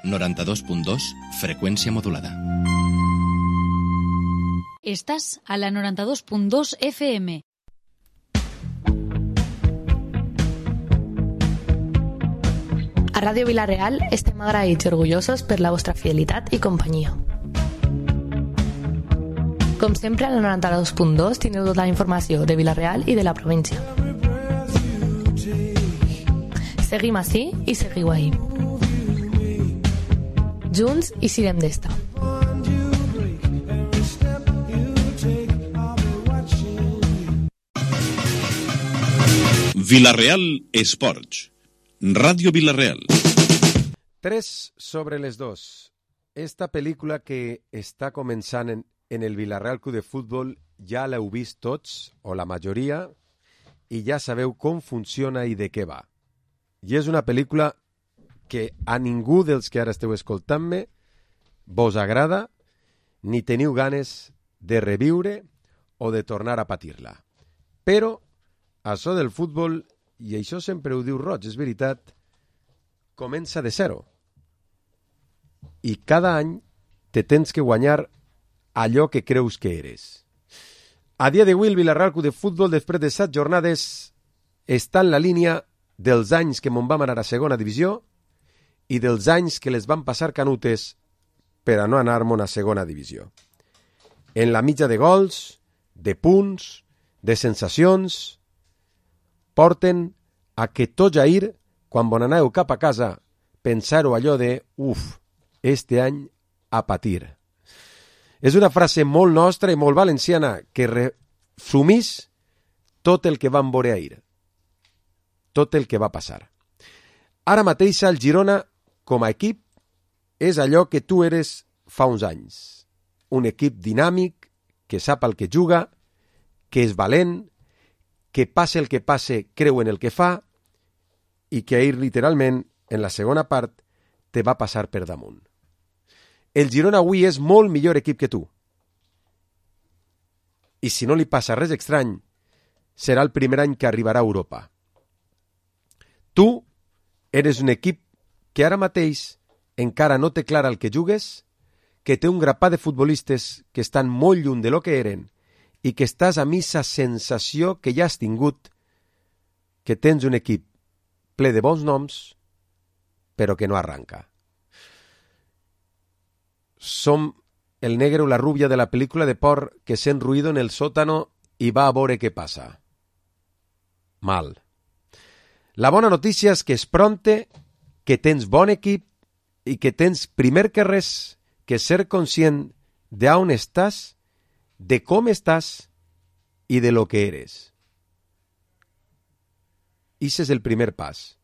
92.2, freqüència modulada. Estàs a la 92.2 FM. A Ràdio Vila-real estem agraïts i orgullosos per la vostra fidelitat i companyia. Com sempre, a la 92.2 teniu tota la informació de Vila-real i de la província. Seguim ací i seguiu ahí. Junts i sirem d'esta. Vila-real Esports. Ràdio Vila-real. 3 sobre les 2. Esta pel·lícula que està començant en el Vila-real Club de Futbol ja l'heu vist tots, o la majoria, i ja sabeu com funciona i de què va. I és una pel·lícula que a ningú dels que ara esteu escoltant-me vos agrada ni teniu ganes de reviure o de tornar a patir-la. Però això del futbol, i això sempre ho diu Roig, és veritat, comença de zero. I cada any te tens que guanyar allò que creus que eres. A dia d'avui el Vila-real Club de Futbol, després de 7 jornades, està en la línia dels anys que me'n vam anar a segona divisió i dels anys que les van passar canutes per a no anar-me'n a segona divisió. En la mitja de gols, de punts, de sensacions, porten a que tot Jair, quan bon aneu cap a casa, pensar-ho allò de este any a patir. És una frase molt nostra i molt valenciana que resumís tot el que vam veure ahir, tot el que va passar. Ara mateix el Girona, com a equip, és allò que tu eres fa uns anys. Un equip dinàmic, que sap el que juga, que és valent, que passe el que passe, creu en el que fa, i que ahir, literalment, en la segona part, te va passar per damunt. El Girona avui és molt millor equip que tu. I si no li passa res estrany, serà el primer any que arribarà a Europa. Tu eres un equip que ara mateix encara no té clara el que jugues, que té un grapat de futbolistes que estan molt lluny de lo que eren i que estàs amb aquesta sensació que ja has tingut, que tens un equip ple de bons noms, però que no arranca. Som el negre o la rubia de la pel·lícula de por que sent ruido en el sótano i va a veure què passa. Mal. La bona notícia és que és pronte, que tens bon equip i que tens, primer que res, que ser conscient d'on estàs, de com estàs i de lo que eres. Ixe és el primer pas.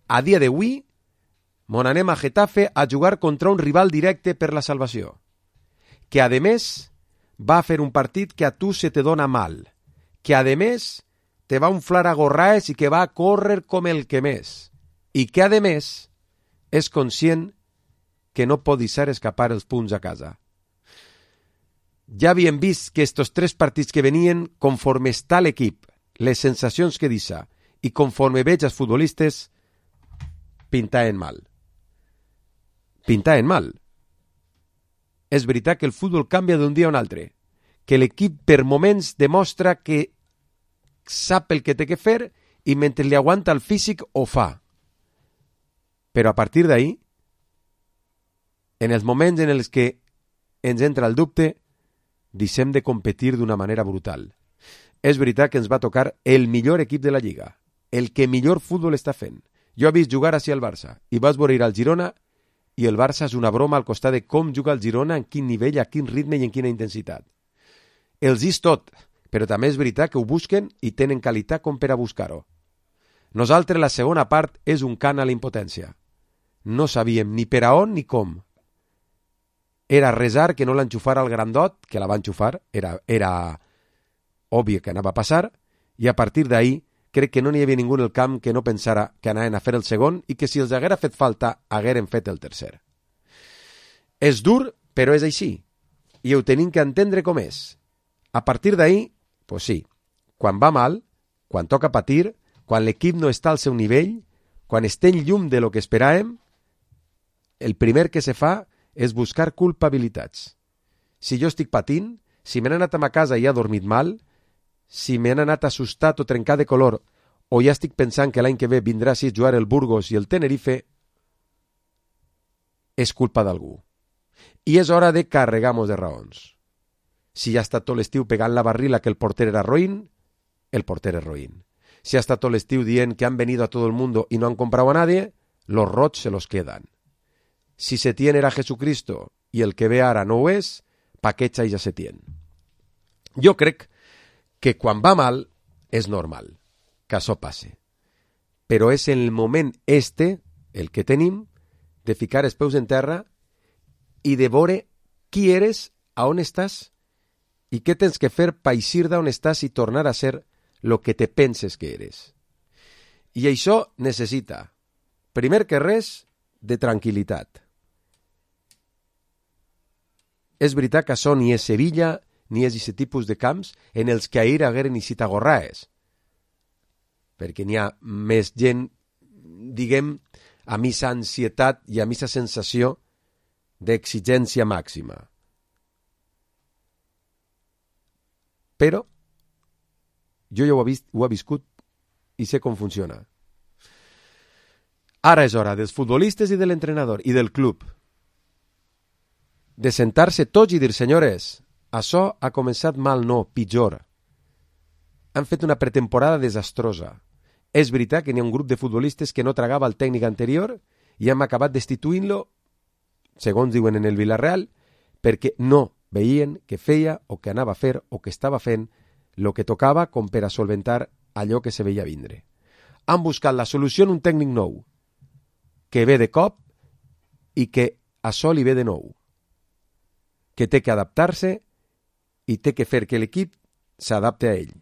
A dia d'avui, mon anem a Getafe a jugar contra un rival directe per la salvació, que a més va fer un partit que a tu se te dona mal, que a més te va inflar a gorraes i que va córrer com el que més, i que a més és conscient que no pot deixar escapar els punts a casa. Ja havíem vist que estos 3 partits que venien, conforme està l'equip, les sensacions que deixa i conforme veig els futbolistes, pintaven mal. Pintaven mal. És veritat que el futbol canvia d'un dia a un altre, que l'equip per moments demostra que sap el que té que fer i mentre li aguanta el físic ho fa. Però a partir d'ahí, en els moments en els que ens entra el dubte, deixem de competir d'una manera brutal. És veritat que ens va tocar el millor equip de la Lliga, el que millor futbol està fent. Jo he vist jugar així al Barça i vas veure ir al Girona i el Barça és una broma al costat de com juga el Girona, en quin nivell, a quin ritme i en quina intensitat. Els és tot, però també és veritat que ho busquen i tenen qualitat com per a buscar-ho. Nosaltres la segona part és un cant a la impotència. No sabíem ni per a on ni com. Era resar que no l'enxufara al grandot, que la va enxufar, era obvi que anava a passar, i a partir d'ahí crec que no n'hi havia ningú en el camp que no pensara que anaven a fer el segon i que si els haguera fet falta, hagueren fet el tercer. És dur, però és així, i ho tenim que entendre com és. A partir d'ahí, pues sí, quan va mal, quan toca patir, quan l'equip no està al seu nivell, quan estem llum de lo que esperàvem, el primer que se fa és buscar culpabilitats. Si jo estic patint, si me n'he anat a ma casa i he dormit mal, si me n'he anat assustat o trencat de color, o ja estic pensant que l'any que ve vindrà a jugar el Burgos i el Tenerife, és culpa d'algú. I és hora de carregar-nos de raons. Si ja ha estat tot l'estiu pegant la barrila que el porter era roïn, el porter és roïn. Si ha estat tot l'estiu dient que han venido a todo el mundo y no han comprado a nadie, los rots se los quedan. Si Setién era Jesucristo i el que ve ara no ho és, pa què xais a Setién? Jo crec que quan va mal és normal que això passe. Però és el moment el que tenim, de ficar els peus en terra i de veure qui eres, a on estàs i què tens que fer per eixir d'on estàs i tornar a ser lo que te penses que eres. I això necessita, primer que res, de tranquil·litat. És veritat que això ni és Sevilla ni és aquest tipus de camps en els que ahir hagueren eixit a gorraes, perquè n'hi ha més gent, diguem, amb aquesta ansietat i amb aquesta sensació d'exigència màxima. Però jo ja ho he viscut i sé com funciona. Ara és hora dels futbolistes i de l'entrenador i del club de sentar-se tots i dir, senyores, això ha començat mal, no, pitjor. Han fet una pretemporada desastrosa. És veritat que n'hi ha un grup de futbolistes que no tragava el tècnic anterior i hem acabat destituint-lo, segons diuen en el Villarreal, perquè no veien que feia o que anava a fer o que estava fent el que tocava com per a solventar allò que se veia vindre. Han buscat la solució en un tècnic nou, que ve de cop i que això li ve de nou, que té que adaptar-se i té que fer que l'equip s'adapte a ell.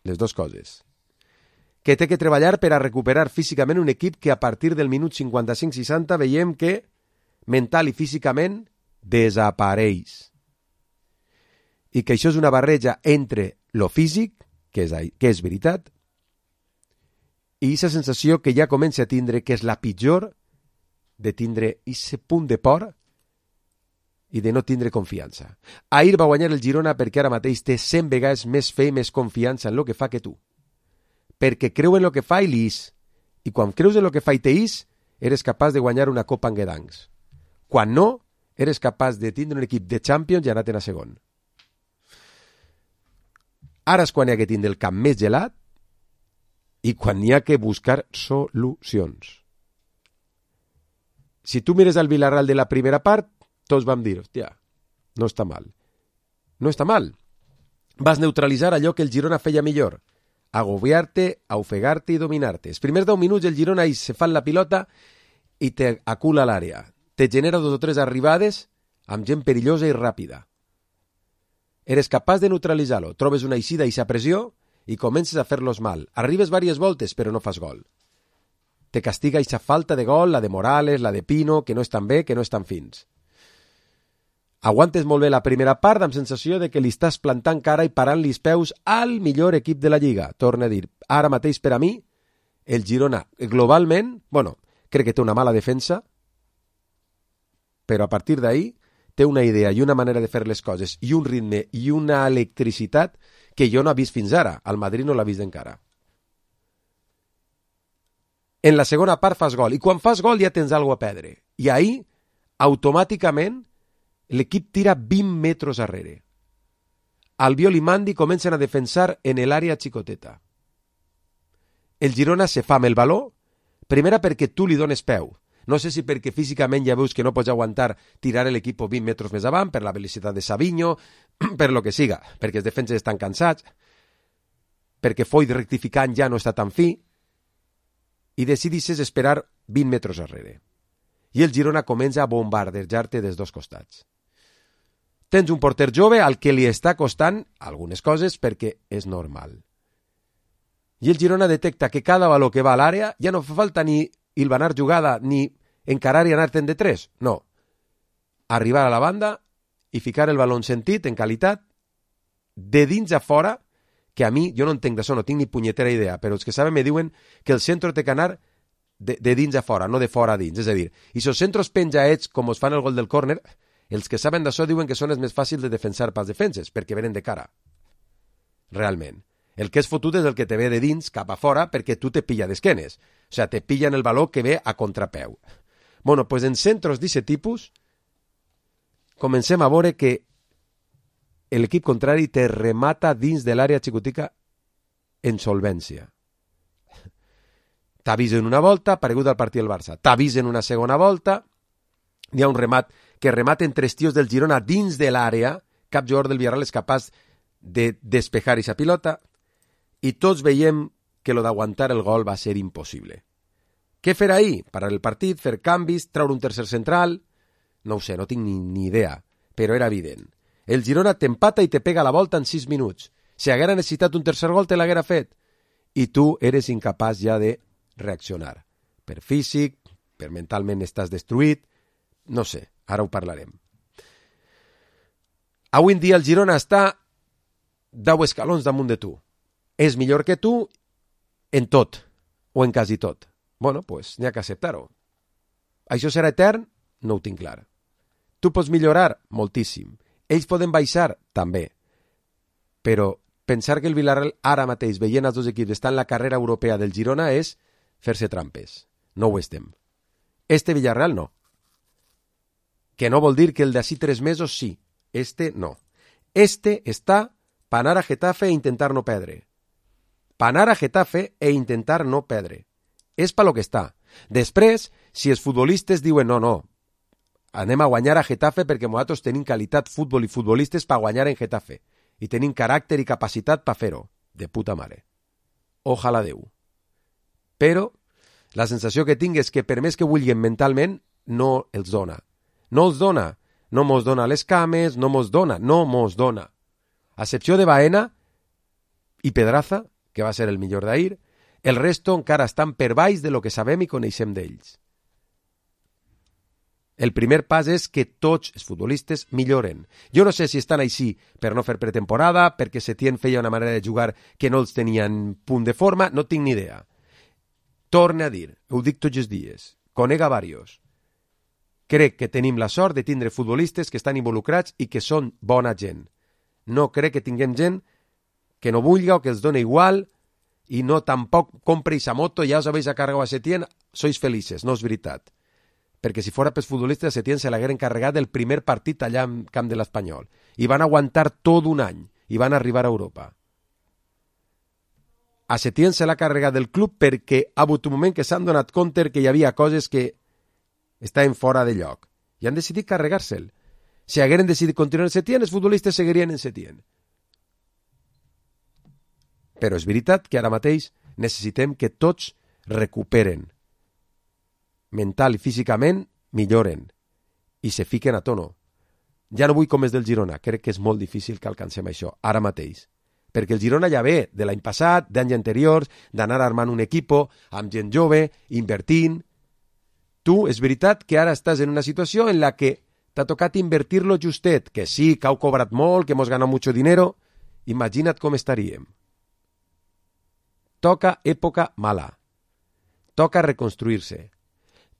Les dues coses. Que té que treballar per a recuperar físicament un equip que a partir del minut 55-60 veiem que mental i físicament desapareix. I que això és una barreja entre lo físic, que és veritat, i aquesta sensació que ja comença a tindre, que és la pitjor, de tindre aquest punt de por i de no tindre confiança. Ahir va guanyar el Girona perquè ara mateix té 100 vegades més fe i més confiança en el que fa que tu. Perquè creu en el que fa i l'ís. I quan creus en el que fa i t'ís, eres capaç de guanyar una Copa en Guedancs. Quan no, eres capaç de tindre un equip de Champions i anar-te'n a segon. Ara és quan hi ha que tindre el camp més gelat i quan hi ha que buscar solucions. Si tu mires el Villarreal de la primera part, tots vam dir, hòstia, no està mal. No està mal. Vas neutralitzar allò que el Girona feia millor. Agobiar-te, ofegar-te i dominar-te. Els primers 10 minuts el Girona se fa la pilota i te acula a l'àrea. Te genera 2 o 3 arribades amb gent perillosa i ràpida. Eres capaç de neutralitzar-lo. Trobes una eixida i sa pressió i comences a fer-los mal. Arribes diverses voltes però no fas gol. Te castiga aquesta falta de gol, la de Morales, la de Pino, que no estan bé, que no estan fins. Aguantes molt bé la primera part amb sensació de que li estàs plantant cara i parant-li els peus al millor equip de la Lliga. Torna a dir, ara mateix per a mi, el Girona globalment, crec que té una mala defensa, però a partir d'ahí té una idea i una manera de fer les coses i un ritme i una electricitat que jo no he vist fins ara. Al Madrid no l'ha vist encara. En la segona part fas gol i quan fas gol ja tens alguna cosa a perdre. I ahí, automàticament, l'equip tira 20 metres arrere. Albiol i Mandi comencen a defensar en l'àrea xicoteta. El Girona se fa amb el baló, primera perquè tu li dones peu. No sé si perquè físicament ja veus que no pots aguantar tirar l'equip 20 metres més avant, per la velocitat de Savinho, per lo que siga, perquè els defenses estan cansats, perquè Foyt rectificant ja no està tan fi, i decidisses esperar 20 metres arrere. I el Girona comença a bombardejar-te des dos costats. Tens un porter jove al que li està costant algunes coses perquè és normal. I el Girona detecta que cada baló que va a l'àrea ja no fa falta ni hilvanar jugada ni encarar i anar-te'n de 3. No. Arribar a la banda i ficar el baló en sentit, en qualitat, de dins a fora, que a mi, jo no entenc d'això, no tinc ni punyetera idea, però els que saben me diuen que el centre té que anar de dins a fora, no de fora a dins. És a dir, i els centros penjaets, com es fan el gol del córner, els que saben d'això diuen que són els més fàcils de defensar pels defenses, perquè venen de cara. Realment. El que és fotut és el que te ve de dins cap a fora perquè tu te pilla d'esquenes. O sigui, te pilla en el baló que ve a contrapeu. Bueno, pues en centros d'aquest tipus comencem a veure que l'equip contrari te remata dins de l'àrea xicotica en solvència. T'avisen una volta, paregut al partit del Barça. T'avisen una segona volta, hi ha un remat que rematen 3 tios del Girona dins de l'àrea, cap jugador del Villarreal és capaç de despejar aquesta pilota, i tots veiem que lo d'aguantar el gol va ser impossible. Què fer ahir? Parar el partit, fer canvis, treure un tercer central... No ho sé, no tinc ni idea, però era evident. El Girona t'empata i te pega la volta en 6 minuts. Si haguera necessitat un tercer gol, te l'haguera fet. I tu eres incapaç ja de reaccionar. Per físic, per mentalment estàs destruït... No sé, ara ho parlarem. Avui en dia el Girona està 10 escalons damunt de tu. És millor que tu en tot, o en quasi tot. Bueno, pues n'hi ha que acceptar-ho. Això serà etern? No ho tinc clar. Tu pots millorar? Moltíssim. Ells poden baixar? També. Però pensar que el Villarreal ara mateix, veient els dos equips, està en la carrera europea del Girona és fer-se trampes. No ho estem. Este Villarreal no. Que no vol dir que el d'ací 3 mesos sí. Este no. Este està pa anar a Getafe e intentar no perdre. Pa anar a Getafe e intentar no perdre. És pa lo que està. Després, si els futbolistes diuen no, anem a guanyar a Getafe perquè nosaltres tenim qualitat futbol i futbolistes per guanyar en Getafe i tenim caràcter i capacitat per fer-ho. De puta mare. Ojalà Déu. Però la sensació que tinc és que per més que vulguin mentalment, no els dona. No els dona. No mos dona les cames, no mos dona. A excepció de Baena i Pedraza, que va ser el millor d'ahir, el resto encara estan per baix de lo que sabem i coneixem d'ells. El primer pas és que tots els futbolistes milloren. Jo no sé si estan així per no fer pretemporada, perquè Setién feia una manera de jugar que no els tenia en punt de forma, no tinc ni idea. Torne a dir, ho dic tots els dies, conega varios. Crec que tenim la sort de tindre futbolistes que estan involucrats i que són bona gent. No crec que tinguem gent que no vulga o que els dona igual i no tampoc compre esa moto, ja us habéis cargado a Setién, sois felices, no és veritat. Perquè si fora pels futbolistes, Setién se l'hagueren carregat del primer partit allà en camp de l'Espanyol. I van aguantar tot un any i van arribar a Europa. A Setién se l'ha carregat del club perquè ha hagut un moment que s'han donat compte que hi havia coses que estaven fora de lloc. I han decidit carregar-se'l. Si hagueren decidit continuar en Setién, els futbolistes seguirien en Setién. Però és veritat que ara mateix necessitem que tots recuperen. Mental i físicament milloren i se fiquen a tono. Ja no vull com és del Girona, crec que és molt difícil que alcancem això, ara mateix. Perquè el Girona ja ve de l'any passat, d'anys anteriors, d'anar armant un equipo amb gent jove, invertint. Tu, és veritat que ara estàs en una situació en la que t'ha tocat invertir-lo justet, que sí, que heu cobrat molt, que hemos ganado mucho dinero. Imagina't com estaríem. Toca època mala. Toca reconstruir-se.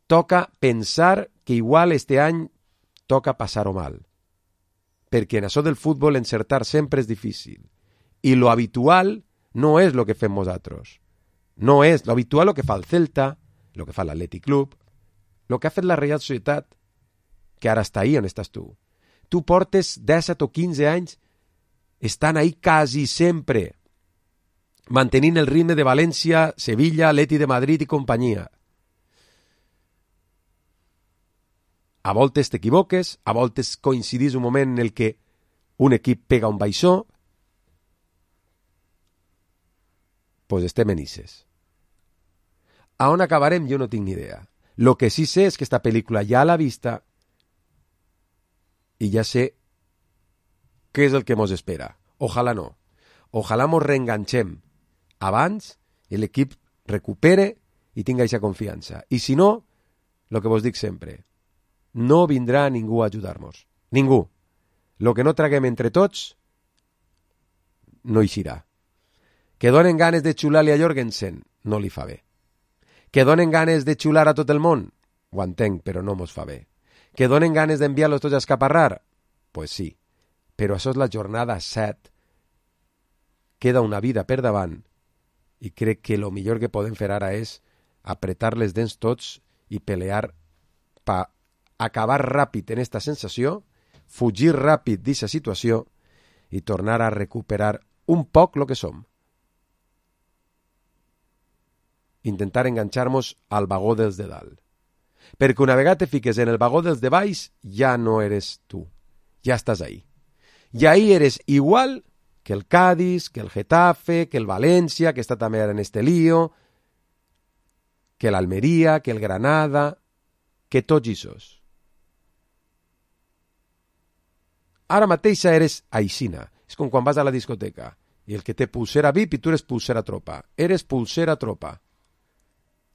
Toca pensar que igual este any toca passar-ho mal. Perquè en això del futbol encertar sempre és difícil. I lo habitual no és lo que fem nosaltres. No és lo habitual lo que fa el Celta, lo que fa l'Atlètic Club, lo que ha fet la Real Societat, que ara està ahí on estàs tu. Tu portes 17 o 15 anys estan ahí quasi sempre, mantenint el ritme de València, Sevilla, Atleti de Madrid i companyia. A voltes t'equivoques, a voltes coincidís un moment en el que un equip pega un baixó, pues estem en ixes. A on acabarem jo no tinc ni idea. Lo que sí sé és que esta pel·lícula ja a la vista i ja sé què és el que mos espera. Ojalà no. Ojalà mos reenganxem abans i l'equip recupere i tinga aquesta confiança. I si no, lo que vos dic sempre, no vindrà ningú a ajudar-nos. Ningú. Lo que no traguem entre tots no eixirà. Que donen ganes de xular-li a Jorgensen no li fa bé. Que donen ganes de xular a tot el món? Ho entenc, però no mos fa bé. Que donen ganes d'enviar-los tots a escaparrar? Pues sí, però això és la jornada 7. Queda una vida per davant i crec que el millor que podem fer ara és apretar les dents tots i pelear per acabar ràpid en esta sensació, fugir ràpid d'aquesta situació i tornar a recuperar un poc lo que som. Intentar enganxar-nos al vagó dels de dalt. Perquè una vegada te fiques en el vagó dels de baix, ja no eres tu. Ja estàs ahí. I ahí eres igual que el Cádiz, que el Getafe, que el València, que està també ara en este lío, que l'Almeria, que el Granada, que tots ixos. Ara mateix eres aixina. És com quan vas a la discoteca i el que té pulsera VIP i tu eres pulsera tropa. Eres pulsera tropa.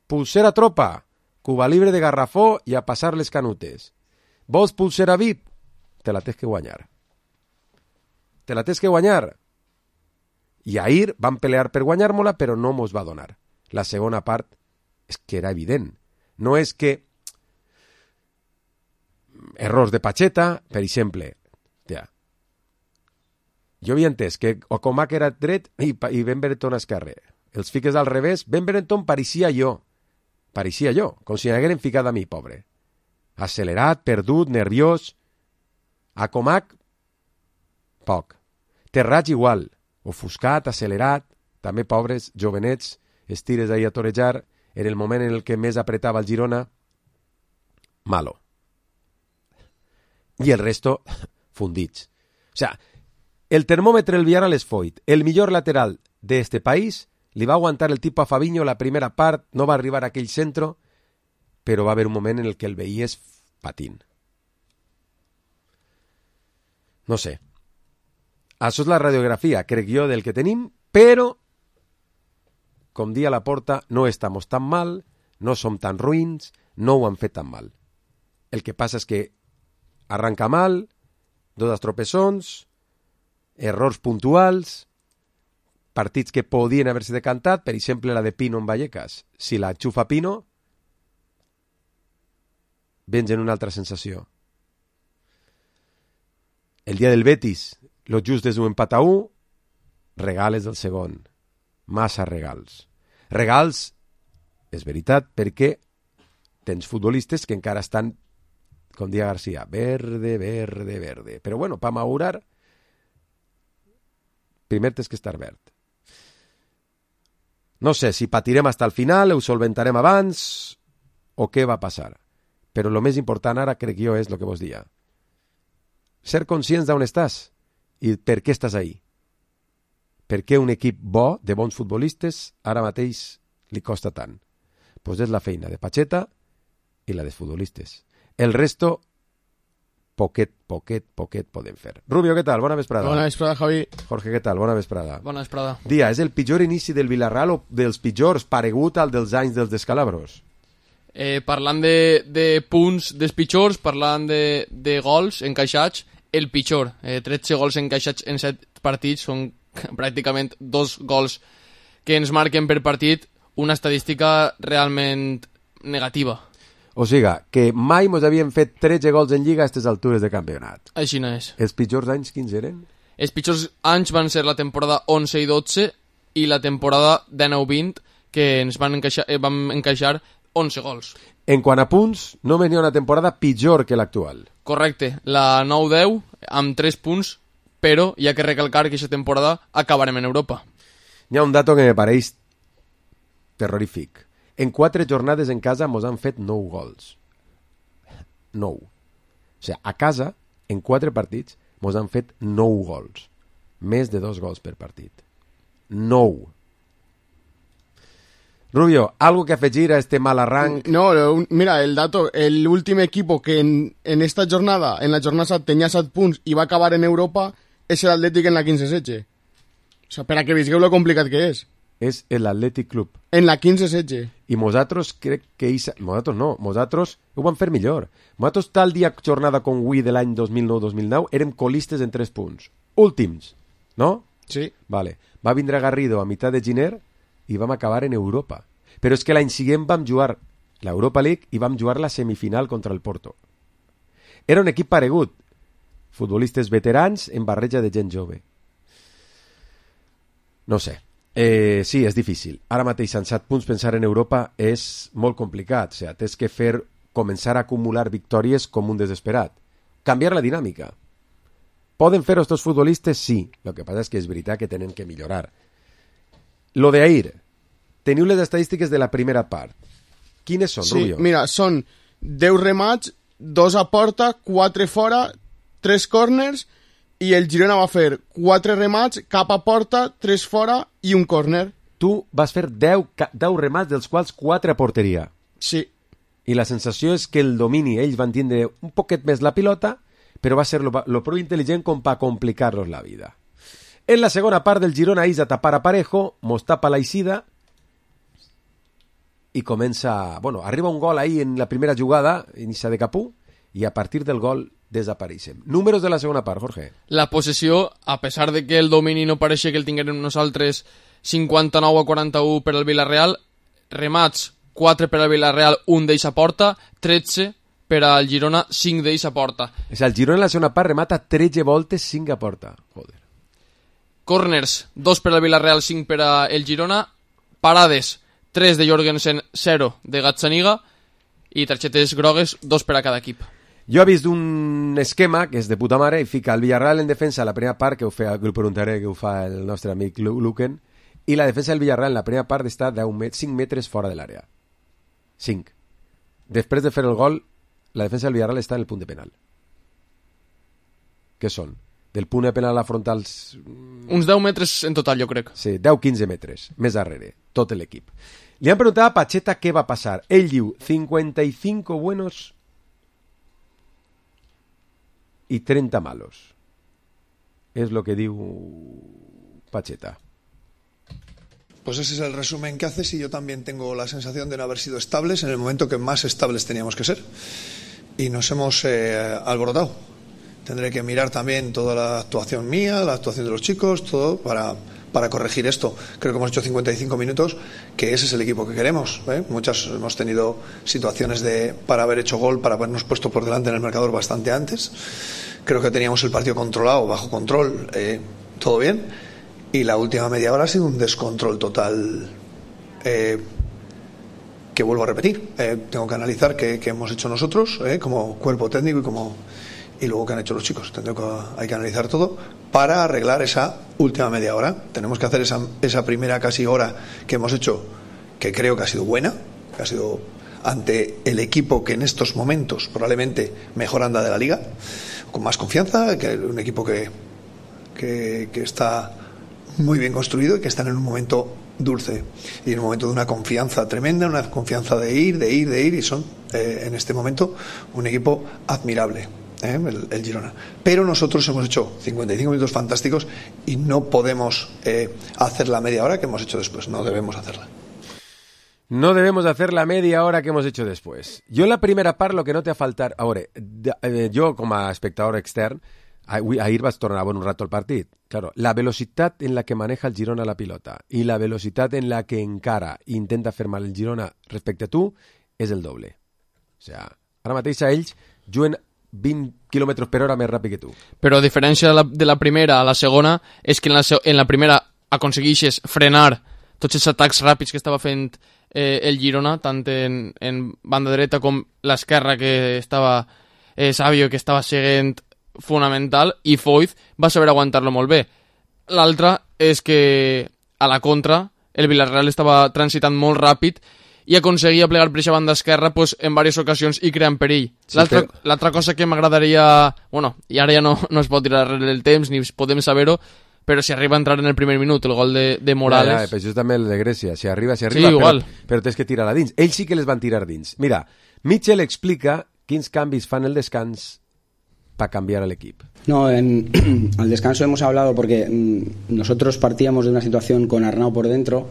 Pulsera tropa. Cuba Libre de garrafó i a passar les canutes. Vols pulsera VIP? Te la tens que guanyar. Te la tens que guanyar. I ahir van pelear per guanyar-me-la, però no mos va donar. La segona part és que era evident. No és que errors de Pacheta, per exemple. Ja. Jo havia entès que Ocomac era dret i Ben Brereton esquerre. Els fiques al revés, Ben Brereton pareixia jo, com si n'hagueren ficat a mi, pobre. Accelerat, perdut, nerviós. Ocomac, poc. Terrats igual, ofuscat, accelerat, també pobres, jovenets, estires ahí a torejar, en el moment en el que més apretava el Girona, malo. I el resto, fundits. O sea, el termòmetre el Villarreal és foit. El millor lateral d'este país li va aguantar el tipo a Fabinho la primera part, no va arribar a aquell centro, però va haver un moment en el que el veies patint. No sé. Això és la radiografia, crec jo, del que tenim, però, com dia la porta, no estamos tan mal, no som tan ruïns, no ho han fet tan mal. El que passa és que arranca mal, dos tropezons, errors puntuals, partits que podien haver-se decantat, per exemple la de Pino en Vallecas. Si la xufa Pino, vens en una altra sensació. El dia del Betis, lo just és un empat a 1, regales del segon. Massa regals. Regals, és veritat, perquè tens futbolistes que encara estan, com dia García, verde, verde, verde. Però bueno, per madurar, primer tens que estar verd. No sé si patirem hasta el final, ho solventarem abans, o què va passar. Però el més important ara, crec jo, és el que vos dia. Ser conscients d'on estàs i per què estàs ahí. Per què un equip bo, de bons futbolistes, ara mateix li costa tant? Pues és la feina de Pacheta i la dels futbolistes. El resto, poquet podem fer. Rubio, què tal? Bona vesprada. Bona vesprada, Javi. Jorge, què tal? Bona vesprada. Bona vesprada. Dia, és el pitjor inici del Villarreal o dels pitjors paregut al dels anys dels descalabros? Parlant de punts dels pitjors, parlant de gols encaixats, el pitjor. 13 gols encaixats en 7 partits, són pràcticament 2 gols que ens marquen per partit, una estadística realment negativa. O sigui, que mai mos havien fet 13 gols en Lliga a aquestes altures de campionat. Així no és. Els pitjors anys quins eren? Els pitjors anys van ser la temporada 11 i 12 i la temporada 19-20, que ens vam encaixar 11 gols. En quant a punts, no venia una temporada pitjor que l'actual. Correcte, la 9-10 amb 3 punts, però hi ha que recalcar que aquesta temporada acabarem en Europa. Hi ha un dato que me pareix terrorífic. En 4 jornades en casa mos han fet 9 gols. 9. O sigui, a casa, en 4 partits, mos han fet 9 gols. Més de 2 gols per partit. 9. Rubio, ¿algo que afegir a este mal arranque? No, mira, el dato, el último equipo que en esta jornada, en la jornada tenía 7 punts i va acabar en Europa, és l'Atlètic en la 15-16. O sea, per a que visqueu lo complicat que és. És l'Atlètic Club. En la 15-16. I nosaltres crec que... Nosaltres ho vam fer millor. Nosaltres tal dia jornada com avui de l'any 2009-2009 érem colistes en 3 punts. Últims, no? Sí. Vale. Va vindre Garrido a mitad de gener i vam acabar en Europa. Però és que l'any següent vam jugar l'Europa League i vam jugar la semifinal contra el Porto. Era un equip paregut, futbolistes veterans en barreja de gent jove. No sé. Sí, és difícil. Ara mateix, amb 7 punts, pensar en Europa és molt complicat. O sigui, tens que començar a acumular victòries com un desesperat. Canviar la dinàmica. Poden fer estos futbolistes? Sí. El que passa és que és veritat que tenen que millorar. Lo de ahir. Teniu les estadístiques de la primera part. Quines són, Rubio? Sí, mira, són 10 remats, 2 a porta, 4 fora, 3 corners, i el Girona va fer 4 remats, cap a porta, 3 fora i un córner. Tu vas fer 10 remats, dels quals 4 a porteria. Sí. I la sensació és que el domini, ells van tindre un poquet més la pilota, però va ser lo prou intel·ligent com per complicar-los la vida. En la segona part del Girona és a tapar a Parejo, mos tapa la eixida i comença... Bueno, arriba un gol ahí en la primera jugada, inicia de Capú, i a partir del gol desapareixem. Números de la segona part, Jorge. La possessió, a pesar de que el domini no pareixia que el tinguérem nosaltres 59 a 41 per al Villarreal, remats 4 per al Villarreal, 1 d'ells a porta, 13 per al Girona, 5 d'ells a porta. És el Girona en la segona part remata 13 voltes, 5 a porta. Joder. Corners, 2 per al Villarreal, 5 per al Girona. Parades, 3 de Jorgensen, 0 de Gazzaniga. I targetes grogues, 2 per a cada equip. Jo he vist un esquema que és de puta mare i fica el Villarreal en defensa a la primera part, que ho preguntaré, que ho fa el nostre amic Luquen, i la defensa del Villarreal en la primera part està 5 metres fora de l'àrea. 5. Després de fer el gol, la defensa del Villarreal està en el punt de penal. Què són? Del punt de penal a la frontal... Uns 10 metres en total, jo crec. Sí, 10-15 metres, més darrere, tot l'equip. Li han preguntat a Pacheta què va passar. Ell diu 55 buenos y 30 malos. Es lo que diu Pacheta. Pues ese es el resumen que haces y yo también tengo la sensación de no haber sido estables en el momento que más estables teníamos que ser. Y nos hemos alborotado. Tendré que mirar también toda la actuación mía, la actuación de los chicos, todo para corregir esto. Creo que hemos hecho 55 minutos, que ese es el equipo que queremos, ¿eh? Muchas hemos tenido situaciones para haber hecho gol, para habernos puesto por delante en el marcador bastante antes. Creo que teníamos el partido controlado, bajo control, todo bien. Y la última media hora ha sido un descontrol total, que vuelvo a repetir. Tengo que analizar qué hemos hecho nosotros, como cuerpo técnico y luego qué han hecho los chicos. Hay que analizar todo para arreglar esa última media hora. Tenemos que hacer esa primera casi hora que hemos hecho, que creo que ha sido buena, que ha sido ante el equipo que en estos momentos probablemente mejor anda de la liga, con más confianza, que un equipo que está muy bien construido y que están en un momento dulce y en un momento de una confianza tremenda, una confianza de ir y son en este momento un equipo admirable, el Girona. Pero nosotros hemos hecho 55 minutos fantásticos y no podemos hacer la media hora que hemos hecho después, no debemos hacerla. No debemos hacer la media hora que hemos hecho después. Jo en la primera part lo que no té a faltar... A veure, jo com a espectador extern, ahir vaig tornar a veure un rato el partit. Claro, la velocitat en la que maneja el Girona la pilota i la velocitat en la que encara i intenta fer mal el Girona respecte a tu és el doble. O sea, ara mateix a ells juguen 20 km per hora més ràpid que tu. Però a diferència de la primera a la segona, és que en la primera aconsegueixes frenar tots els atacs ràpids que estava fent el Girona, tant en banda dreta com l'esquerra, que estava Savio, que estava seguint fonamental, i Foyth va saber aguantar-lo molt bé. L'altra és que a la contra el Villarreal estava transitant molt ràpid i aconseguia plegar per aquesta banda esquerra pues, en diverses ocasions i creant perill. Sí, l'altra cosa que m'agradaria... Bueno, i ara ja no es pot tirar darrere el temps ni podem saber-ho, però si arriba a entrar en el primer minut el gol de Morales... Però això és també el de Grècia. Si arriba, sí, igual. Però tens que tirar a dins. Ells sí que les van tirar dins. Mira, Mitchell explica quins canvis fan el descans para cambiar al equipo. No, al descanso hemos hablado porque nosotros partíamos de una situación con Arnau por dentro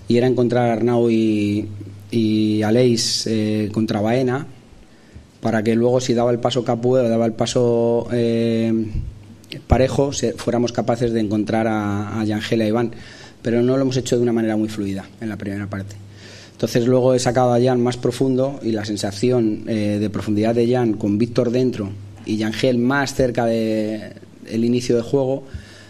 y era encontrar a Arnau y Aleix contra Baena para que luego si daba el paso Capú o daba el paso Parejo fuéramos capaces de encontrar a Yangel y a Iván, pero no lo hemos hecho de una manera muy fluida en la primera parte. Entonces luego he sacado a Jan más profundo y la sensación de profundidad de Jan con Víctor dentro y Yangel más cerca del inicio de juego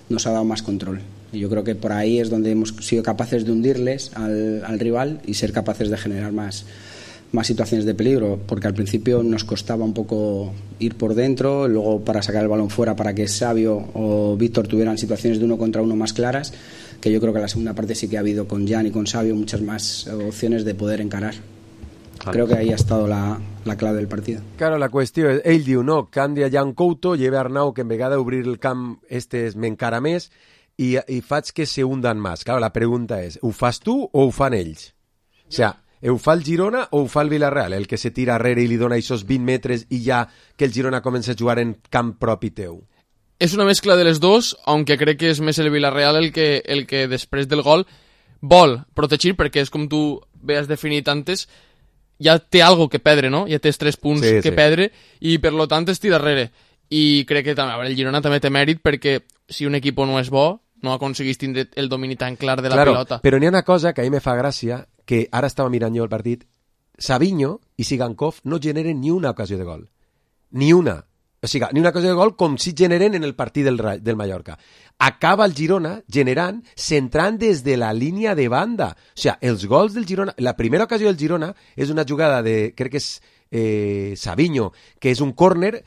nos ha dado más control. Y yo creo que por ahí es donde hemos sido capaces de hundirles al rival y ser capaces de generar más situaciones de peligro, porque al principio nos costaba un poco ir por dentro, luego para sacar el balón fuera para que Savio o Víctor tuvieran situaciones de 1 contra 1 más claras, que yo creo que en la segunda parte sí que ha habido con Jan y con Savio muchas más opciones de poder encarar. Creo que ahí ha estado la clave del partido. Claro, la qüestió és, ell diu, no, canvia Jan Couto, lleva Arnau, que en vegada d'obrir el camp m'encara més i faig que se hundan més. Claro, la pregunta és, ho fas tu o ho fan ells? O sea, ho fa el Girona o ho fa el Villarreal? El que se tira arrere i li dona aquests 20 metres i ja que el Girona comença a jugar en camp propi teu. Es una mezcla de los dos, aunque crec que és més el Villarreal el que després del gol vol protegir, perquè és com tu has definit antes, ja té algo que perdre, no? Ja tens 3 punts que perdre i per lo tant es tira darrere. I crec que també, el Girona també té mèrit perquè si un equip no és bo, no aconseguís tindre el domini tan clar de la pilota. Però n'hi ha una cosa que a mi me fa gràcia, que ara estava mirant jo el partit, Savinho i Sigankov no generen ni una ocasió de gol. Ni una. O sigui, ni una ocasió de gol com si generen en el partit del Mallorca. Acaba el Girona generant, centrant des de la línia de banda. O sigui, els gols del Girona... La primera ocasió del Girona és una jugada de, crec que és Savinho, que és un córner,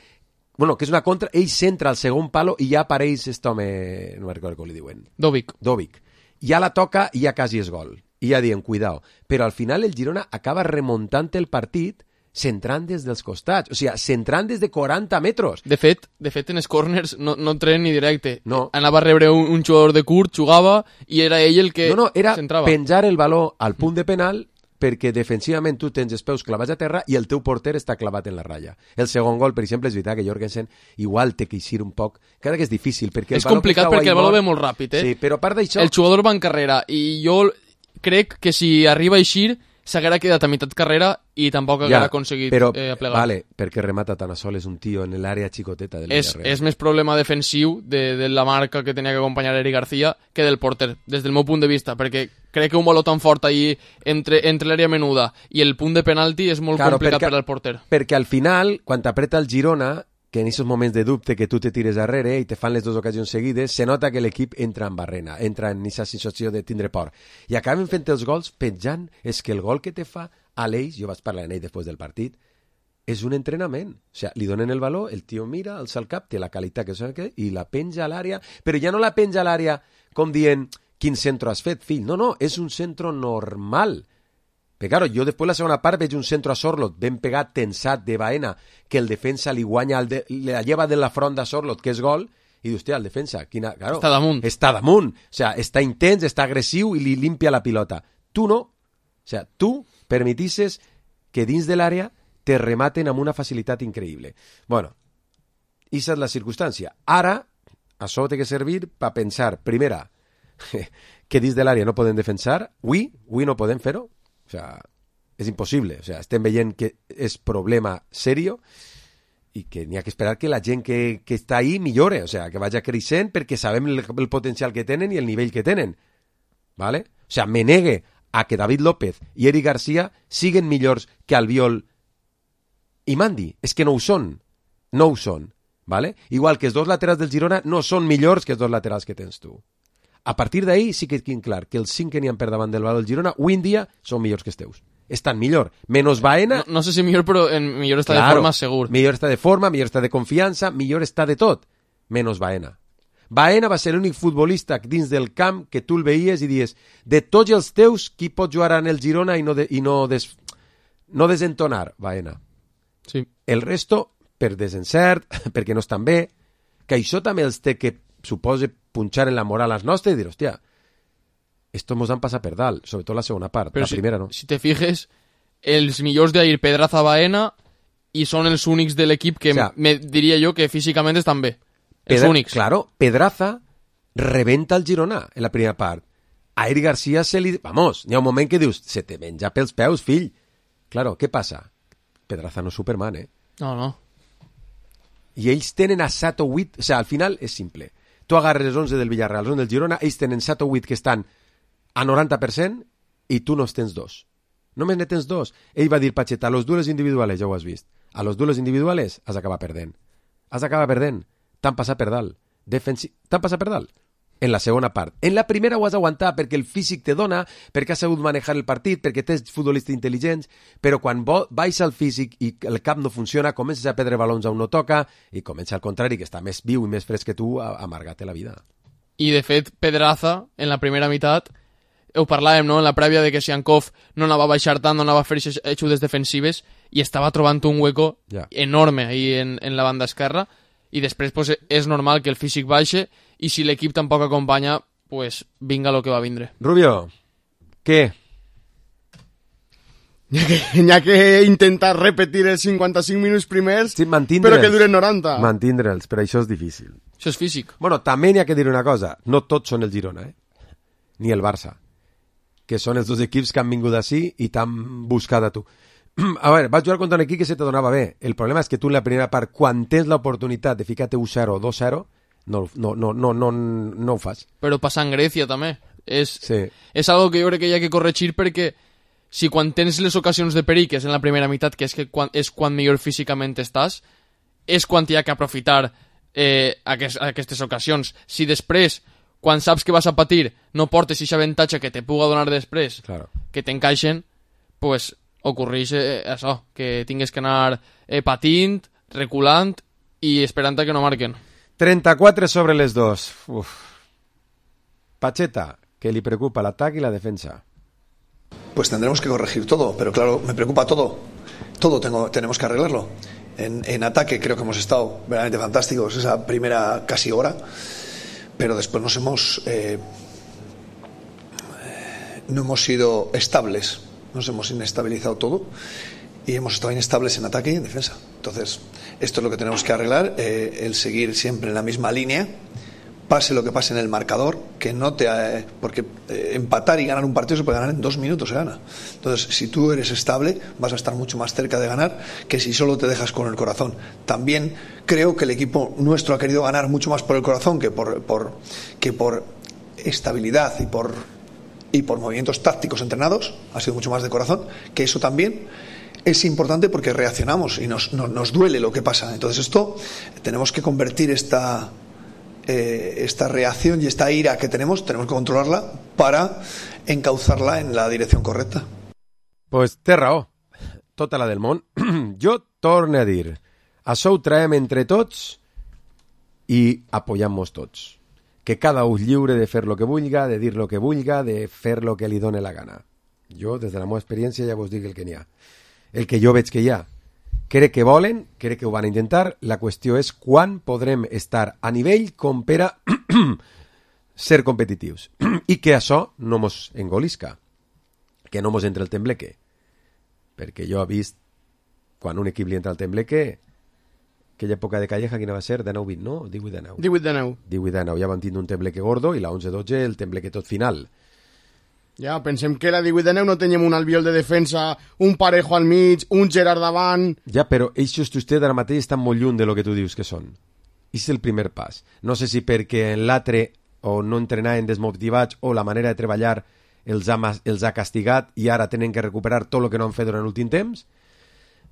bueno, que és una contra, ell centra al segon palo i ja apareix aquest home, no recordo com li diuen. Dovic. Ja la toca i ja quasi és gol. I ja diem, cuidao. Però al final el Girona acaba remuntant el partit centrant des dels costats, o sigui, centrant des de 40 metres. De fet en els corners no entren ni directe. No. Anava a rebre un jugador de curt, jugava, i era ell el que era centrava. Penjar el baló al punt de penal perquè defensivament tu tens els peus clavats a terra i el teu porter està clavat en la ratlla. El segon gol, per exemple, és veritat que Jorgensen igual té que eixir un poc, encara que és difícil, perquè és complicat perquè el baló ve molt ràpid, Sí, però a part d'això... El jugador va en carrera, i jo crec que si arriba a eixir s'haguera quedat a meitat carrera i tampoc haguera aconseguit plegar. Vale, perquè remata tan a sol, és un tio en l'àrea xicoteta del Villarreal. És més problema defensiu de la marca que tenia que acompanyar Eric García que del porter, des del meu punt de vista, perquè crec que un baló tan fort ahí entre l'àrea menuda i el punt de penalti és molt complicat per al porter. Perquè al final, quan t'apreta el Girona, que en aquests moments de dubte que tu te tires darrere i te fan les 2 ocasions seguides, se nota que l'equip entra en barrena, entra en aquesta sensació de tindre por. I acaben fent els gols penjant. És que el gol que te fa Aleix, jo vaig parlar amb ell després del partit, és un entrenament. O sigui, li donen el valor, el tio mira, alça el cap, té la qualitat que i la penja a l'àrea, però ja no la penja a l'àrea com dient quin centre has fet, fill. No, és un centre normal. Però claro, jo després la segona part veig un centre a Sorloth ben pegat, tensat de Baena, que el defensa li guanya, la lleva de la front de Sorloth, que és gol, i dius, hòstia, el defensa, claro, està damunt, o sigui, està intens, està agressiu i li limpia la pilota. Tu no, o sigui, tu permetisses que dins de l'àrea te rematen amb una facilitat increïble. Bueno, aquesta és la circumstància. Ara, això té que servir per pensar, primera, que dins de l'àrea no podem defensar, avui no podem fer-ho. O sea, és impossible. O sea, estem veient que és problema serio i que n'hi ha que esperar que la gent que està ahí millore, o sea, que vagi creixent perquè sabem el potencial que tenen i el nivell que tenen. ¿Vale? O sea, me negue a que David López i Eric García siguen millors que Albiol i Mandi. És que no ho són. No ho són. ¿Vale? Igual que els 2 laterals del Girona no són millors que els 2 laterals que tens tu. A partir d'ahí sí que queda clar que els 5 que n'hi ha per davant del valor del Girona avui en dia són millors que els teus. Estan millor. Menos Baena... No sé si millor, però millor està de forma segur. Millor està de forma, millor està de confiança, millor està de tot. Menos Baena. Baena va ser l'únic futbolista dins del camp que tu el veies i dies, de tots els teus, qui pot jugar en el Girona i no desentonar? Baena. Sí. El resto, per desencert, perquè no estan bé, que això també els té que suposa punxar en la moral als nostres i dir, hòstia, esto mos han passat per dalt, sobretot la segona part, però la primera no. Si te fijes, els millors d'ahir, Pedraza, Baena, i són els únics de l'equip que diria jo que físicament estan bé. Els únics. Claro, Pedraza rebenta el Girona en la primera part. A Eric García se li... Vamos, hi ha un moment que dius, se te menja pels peus, fill. Claro, què passa? Pedraza no és Superman, No. I ells tenen a 7 o 8... O sigui, al final és simple. Tu agarres els 11 del Villarreal, els 11 del Girona, ells tenen 7 o 8 que estan a 90% i tu no tens 2. Només ne tens 2. Ell va dir, Pacheta, a los duelos individuales, ja ho has vist, a los duelos individuales has d'acabar perdent. T'han passat per dalt. T'han passat per dalt. En la segona part. En la primera ho has d'aguantar perquè el físic te dona, perquè has sabut manejar el partit, perquè tens futbolistes intel·ligents, però quan baixa el físic i el cap no funciona, comences a perdre balons on no toca i comença al contrari, que està més viu i més fresc que tu, a amargar-te la vida. I de fet, Pedraza, en la primera meitat, ho parlàvem, no?, en la prèvia de que Siankov no anava a baixar tant, no anava a fer ajudes defensives i estava trobant un hueco enorme ahí en la banda esquerra i després pues, és normal que el físic baixe i si l'equip tampoc acompanya, pues vinga lo que va vindre. Rubio, què? N'hi ha que intentar repetir els 55 minuts primers, sí, però que duren 90. Mantindre'ls, però això és difícil. Això és físic. Bueno, també n'hi ha que dir una cosa, no tots són el Girona, ni el Barça, que són els dos equips que han vingut així i t'han buscat a tu. A veure, vas jugar contra un equip que se te donava bé. El problema és que tu en la primera part, quan tens l'oportunitat de ficar-te 1-0 o 2-0, no ho fas. Però passa en Grècia també. És algo que jo crec que hi ha que corregir perquè si quan tens les ocasions de perill, que és en la primera meitat, que és quan millor físicament estàs, és quan hi ha que aprofitar aquestes ocasions. Si després, quan saps que vas a patir, no portes aquest avantatge que te puga donar després, claro, que t'encaixen, pues ocorreix això, que tingues que anar patint, reculant i esperant que no marquen. 34 sobre les 2. Uf. Pacheta, que li preocupa l'atac i la defensa. Pues tendremos que corregir todo, pero claro, me preocupa todo. Todo tenemos que arreglarlo. En ataque creo que hemos estado verdaderamente fantásticos esa primera casi hora, pero después no hemos sido estables, nos hemos inestabilizado todo y hemos estado inestables en ataque y en defensa. Entonces, esto es lo que tenemos que arreglar, el seguir siempre en la misma línea, pase lo que pase en el marcador, que no porque empatar y ganar un partido se puede ganar en 2 minutos, se gana. Entonces, si tú eres estable, vas a estar mucho más cerca de ganar que si solo te dejas con el corazón. También creo que el equipo nuestro ha querido ganar mucho más por el corazón que por estabilidad y por movimientos tácticos entrenados. Ha sido mucho más de corazón, que eso también es importante porque reaccionamos y nos duele lo que pasa. Entonces esto tenemos que convertir esta reacción y esta ira que tenemos que controlarla para encauzarla en la dirección correcta. Pues té raó, tota la del món. Jo torno a dir, això ho traiem entre tots i apoyamos tots. Que cada un lliure de fer lo que vulga, de dir lo que vulga, de fer lo que li done la gana. Jo, des de la meva experiència, ja vos dic el que n'hi ha. El que jo veig que hi ha. Crec que volen, crec que ho van a intentar. La qüestió és quan podrem estar a nivell com per a ser competitius. I que això no mos engolisca. Que no mos entre el tembleque. Perquè jo he vist, quan un equip li entra el tembleque, aquella època de Calleja, quina va ser? 19-20, no? 18-19. 18-19. Ja van tindre un tembleque gordo i la 11-12 el tembleque tot final. Ja, pensem que la 18-19 no teníem un Albiol de defensa, un Parejo al mig, un Gerard davant... Ja, però ells vostès ara mateix estan molt lluny de lo que tu dius que són. I és el primer pas. No sé si perquè en l'altre o no entrenaven desmotivats o la manera de treballar els ha castigat i ara tenen que recuperar tot el que no han fet durant l'últim temps.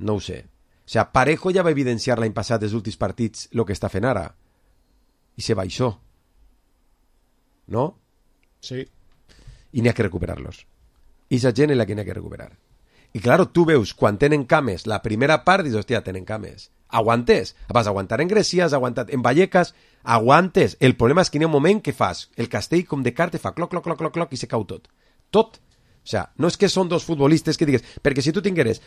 No ho sé. O sigui, Parejo ja va evidenciar l'any passat dels últims partits el que està fent ara. I se baixó. No? Sí. I n'hi ha que recuperar-los. I aquesta gent és la que n'hi ha que recuperar. I claro, tu veus, quan tenen cames, la primera part, dius, hòstia, tenen cames. Aguantes. Vas aguantar en Grècia, has aguantat en Vallecas, aguantes. El problema és que n'hi ha un moment que fas, el castell com de carta fa cloc, cloc, cloc, cloc, cloc, i se cau tot. Tot. O sigui, no és que són dos futbolistes que digues, perquè si tu tingueres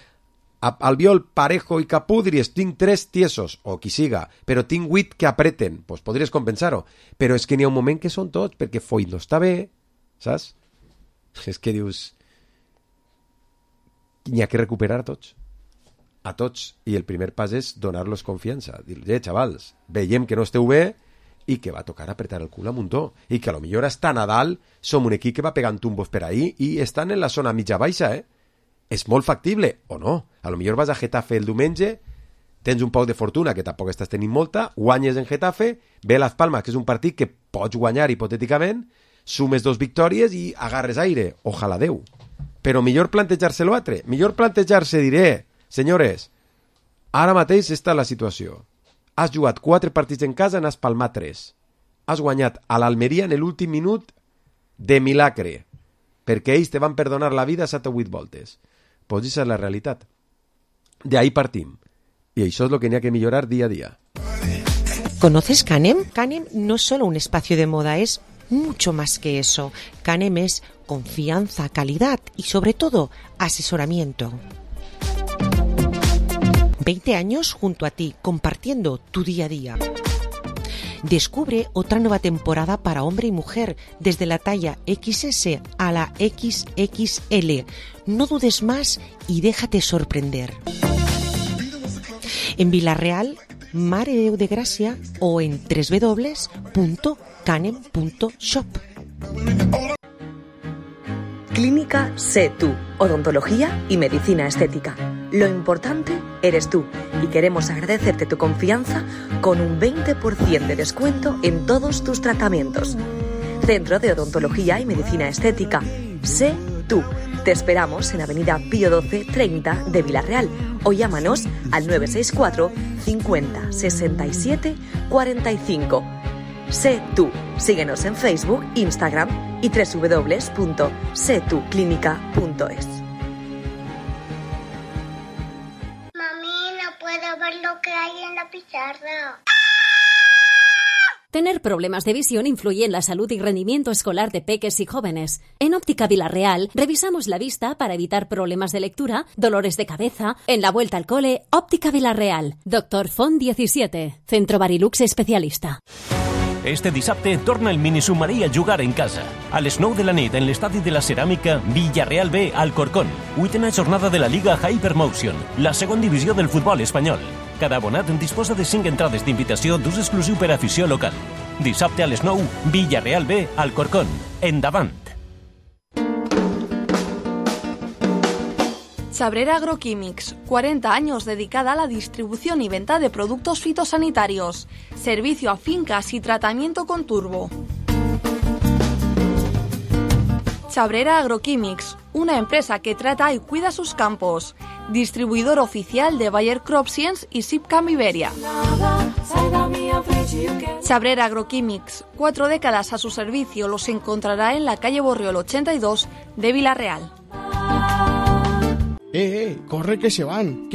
Albiol, Parejo i Capú, diries, tinc 3 tiesos, o qui siga, però tinc 8 que apreten, doncs podries compensar-ho. Però és que n'hi ha un moment que són tots, perquè Foyt no està bé, saps? És que dius, n'hi ha que recuperar a tots, i el primer pas és donar-los confiança, dir-los, xavals, veiem que no esteu bé i que va tocar apretar el cul a muntó, i que a lo millor hasta Nadal som un equip que va pegant tumbos per ahí i estan en la zona mitja-baixa, és molt factible, o no, a lo millor vas a Getafe el diumenge, tens un poc de fortuna, que tampoc estàs tenint molta, guanyes en Getafe, ve Las Palmas, que és un partit que pots guanyar hipotèticament, sumes 2 victòries i agarres aire, ojalà Déu. Però millor plantejar-se l'altre. Millor plantejar-se, diré, senyores, ara mateix està la situació. Has jugat 4 partits en casa, n'has palmat 3. Has guanyat a l'Almeria en l'últim minut de milagre, perquè ells te van perdonar la vida 7 o 8 voltes. Pues esa es la realitat. De ahí partim. Y eso es lo que tenía que mejorar día a día. ¿Conoces Canem? Canem no es solo un espacio de moda, es mucho más que eso. Canem es confianza, calidad y sobre todo asesoramiento. 20 años junto a ti, compartiendo tu día a día. Descubre otra nueva temporada para hombre y mujer, desde la talla XS a la XXL. No dudes más y déjate sorprender. En Vilareal, Mare de Déu de Gràcia o en www.canem.shop. Clínica Sé Tú, odontología y medicina estética. Lo importante eres tú y queremos agradecerte tu confianza con un 20% de descuento en todos tus tratamientos. Centro de Odontología y Medicina Estética. Sé Tú. Te esperamos en Avenida Pío 12 30 de Vilareal o llámanos al 964 50 67 45. Sé Tú. Síguenos en Facebook, Instagram y www.setuclinica.es. Mami, no puedo ver lo que hay en la pizarra. Tener problemas de visión influye en la salud y rendimiento escolar de peques y jóvenes. En Óptica Vilareal revisamos la vista para evitar problemas de lectura, dolores de cabeza. En la vuelta al cole, Óptica Vilareal. Dr. Font 17. Centro Barilux especialista. Este dissabte torna el minisubmarí a jugar en casa. A les 9 de la nit en l'estadi de la Ceràmica, Villarreal B, Alcorcón. 8a jornada de la Liga Hypermotion, la segona divisió del futbol espanyol. Cada abonat disposa de 5 entrades d'invitació d'ús exclusiu per afició local. Dissabte a les 9, Villarreal B, Alcorcón. Endavant! Chabrera Agroquímics, 40 años dedicada a la distribución y venta de productos fitosanitarios, servicio a fincas y tratamiento con turbo. Chabrera Agroquímics, una empresa que trata y cuida sus campos, distribuidor oficial de Bayer CropScience y Sipcam Iberia. Chabrera Agroquímics, 4 décadas a su servicio, los encontrará en la calle Borriol 82 de Vilareal. Corre que se van,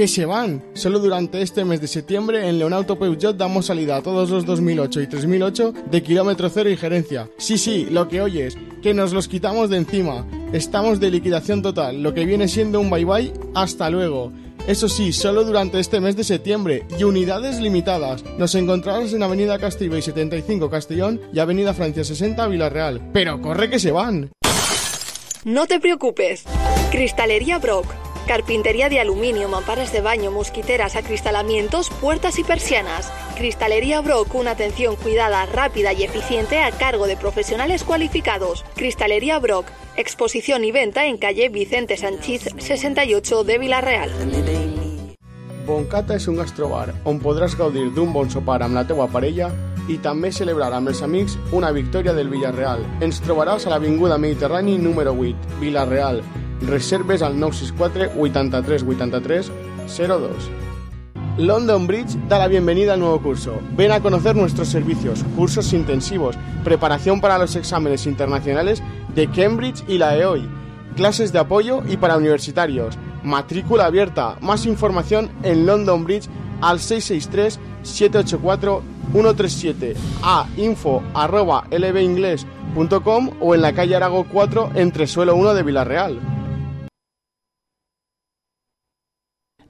Solo durante este mes de septiembre en Leonauto Peugeot damos salida a todos los 2008 y 3008 de kilómetro cero y gerencia. Sí, lo que oyes, que nos los quitamos de encima. Estamos de liquidación total, lo que viene siendo un bye bye, hasta luego. Eso sí, solo durante este mes de septiembre y unidades limitadas. Nos encontrarás en Avenida Castellbell 75 Castellón y Avenida Francia 60 Vilareal. Pero corre que se van. No te preocupes. Cristalería Brock. Carpintería de aluminio, mamparas de baño, mosquiteras, acristalamientos, puertas y persianas. Cristalería Brock, una atención cuidada, rápida y eficiente a cargo de profesionales cualificados. Cristalería Brock, exposición y venta en calle Vicente Sanchís 68 de Vilareal. Boncata és un gastrobar on podràs gaudir d'un bon sopar amb la teua parella i també celebrar amb els amics una victòria del Villarreal. Ens trobaràs a l'Avinguda Mediterrani número 8, Vilareal. Reserves al 964 83 83 02. London Bridge da la bienvenida al nuevo curso. Ven a conocer nuestros servicios, cursos intensivos, preparación para los exámenes internacionales de Cambridge y la EOI, clases de apoyo y para universitarios, matrícula abierta. Más información en London Bridge al 663 784 137, a info@lbingles.com o en la calle Arago 4 entre suelo 1 de Vilareal.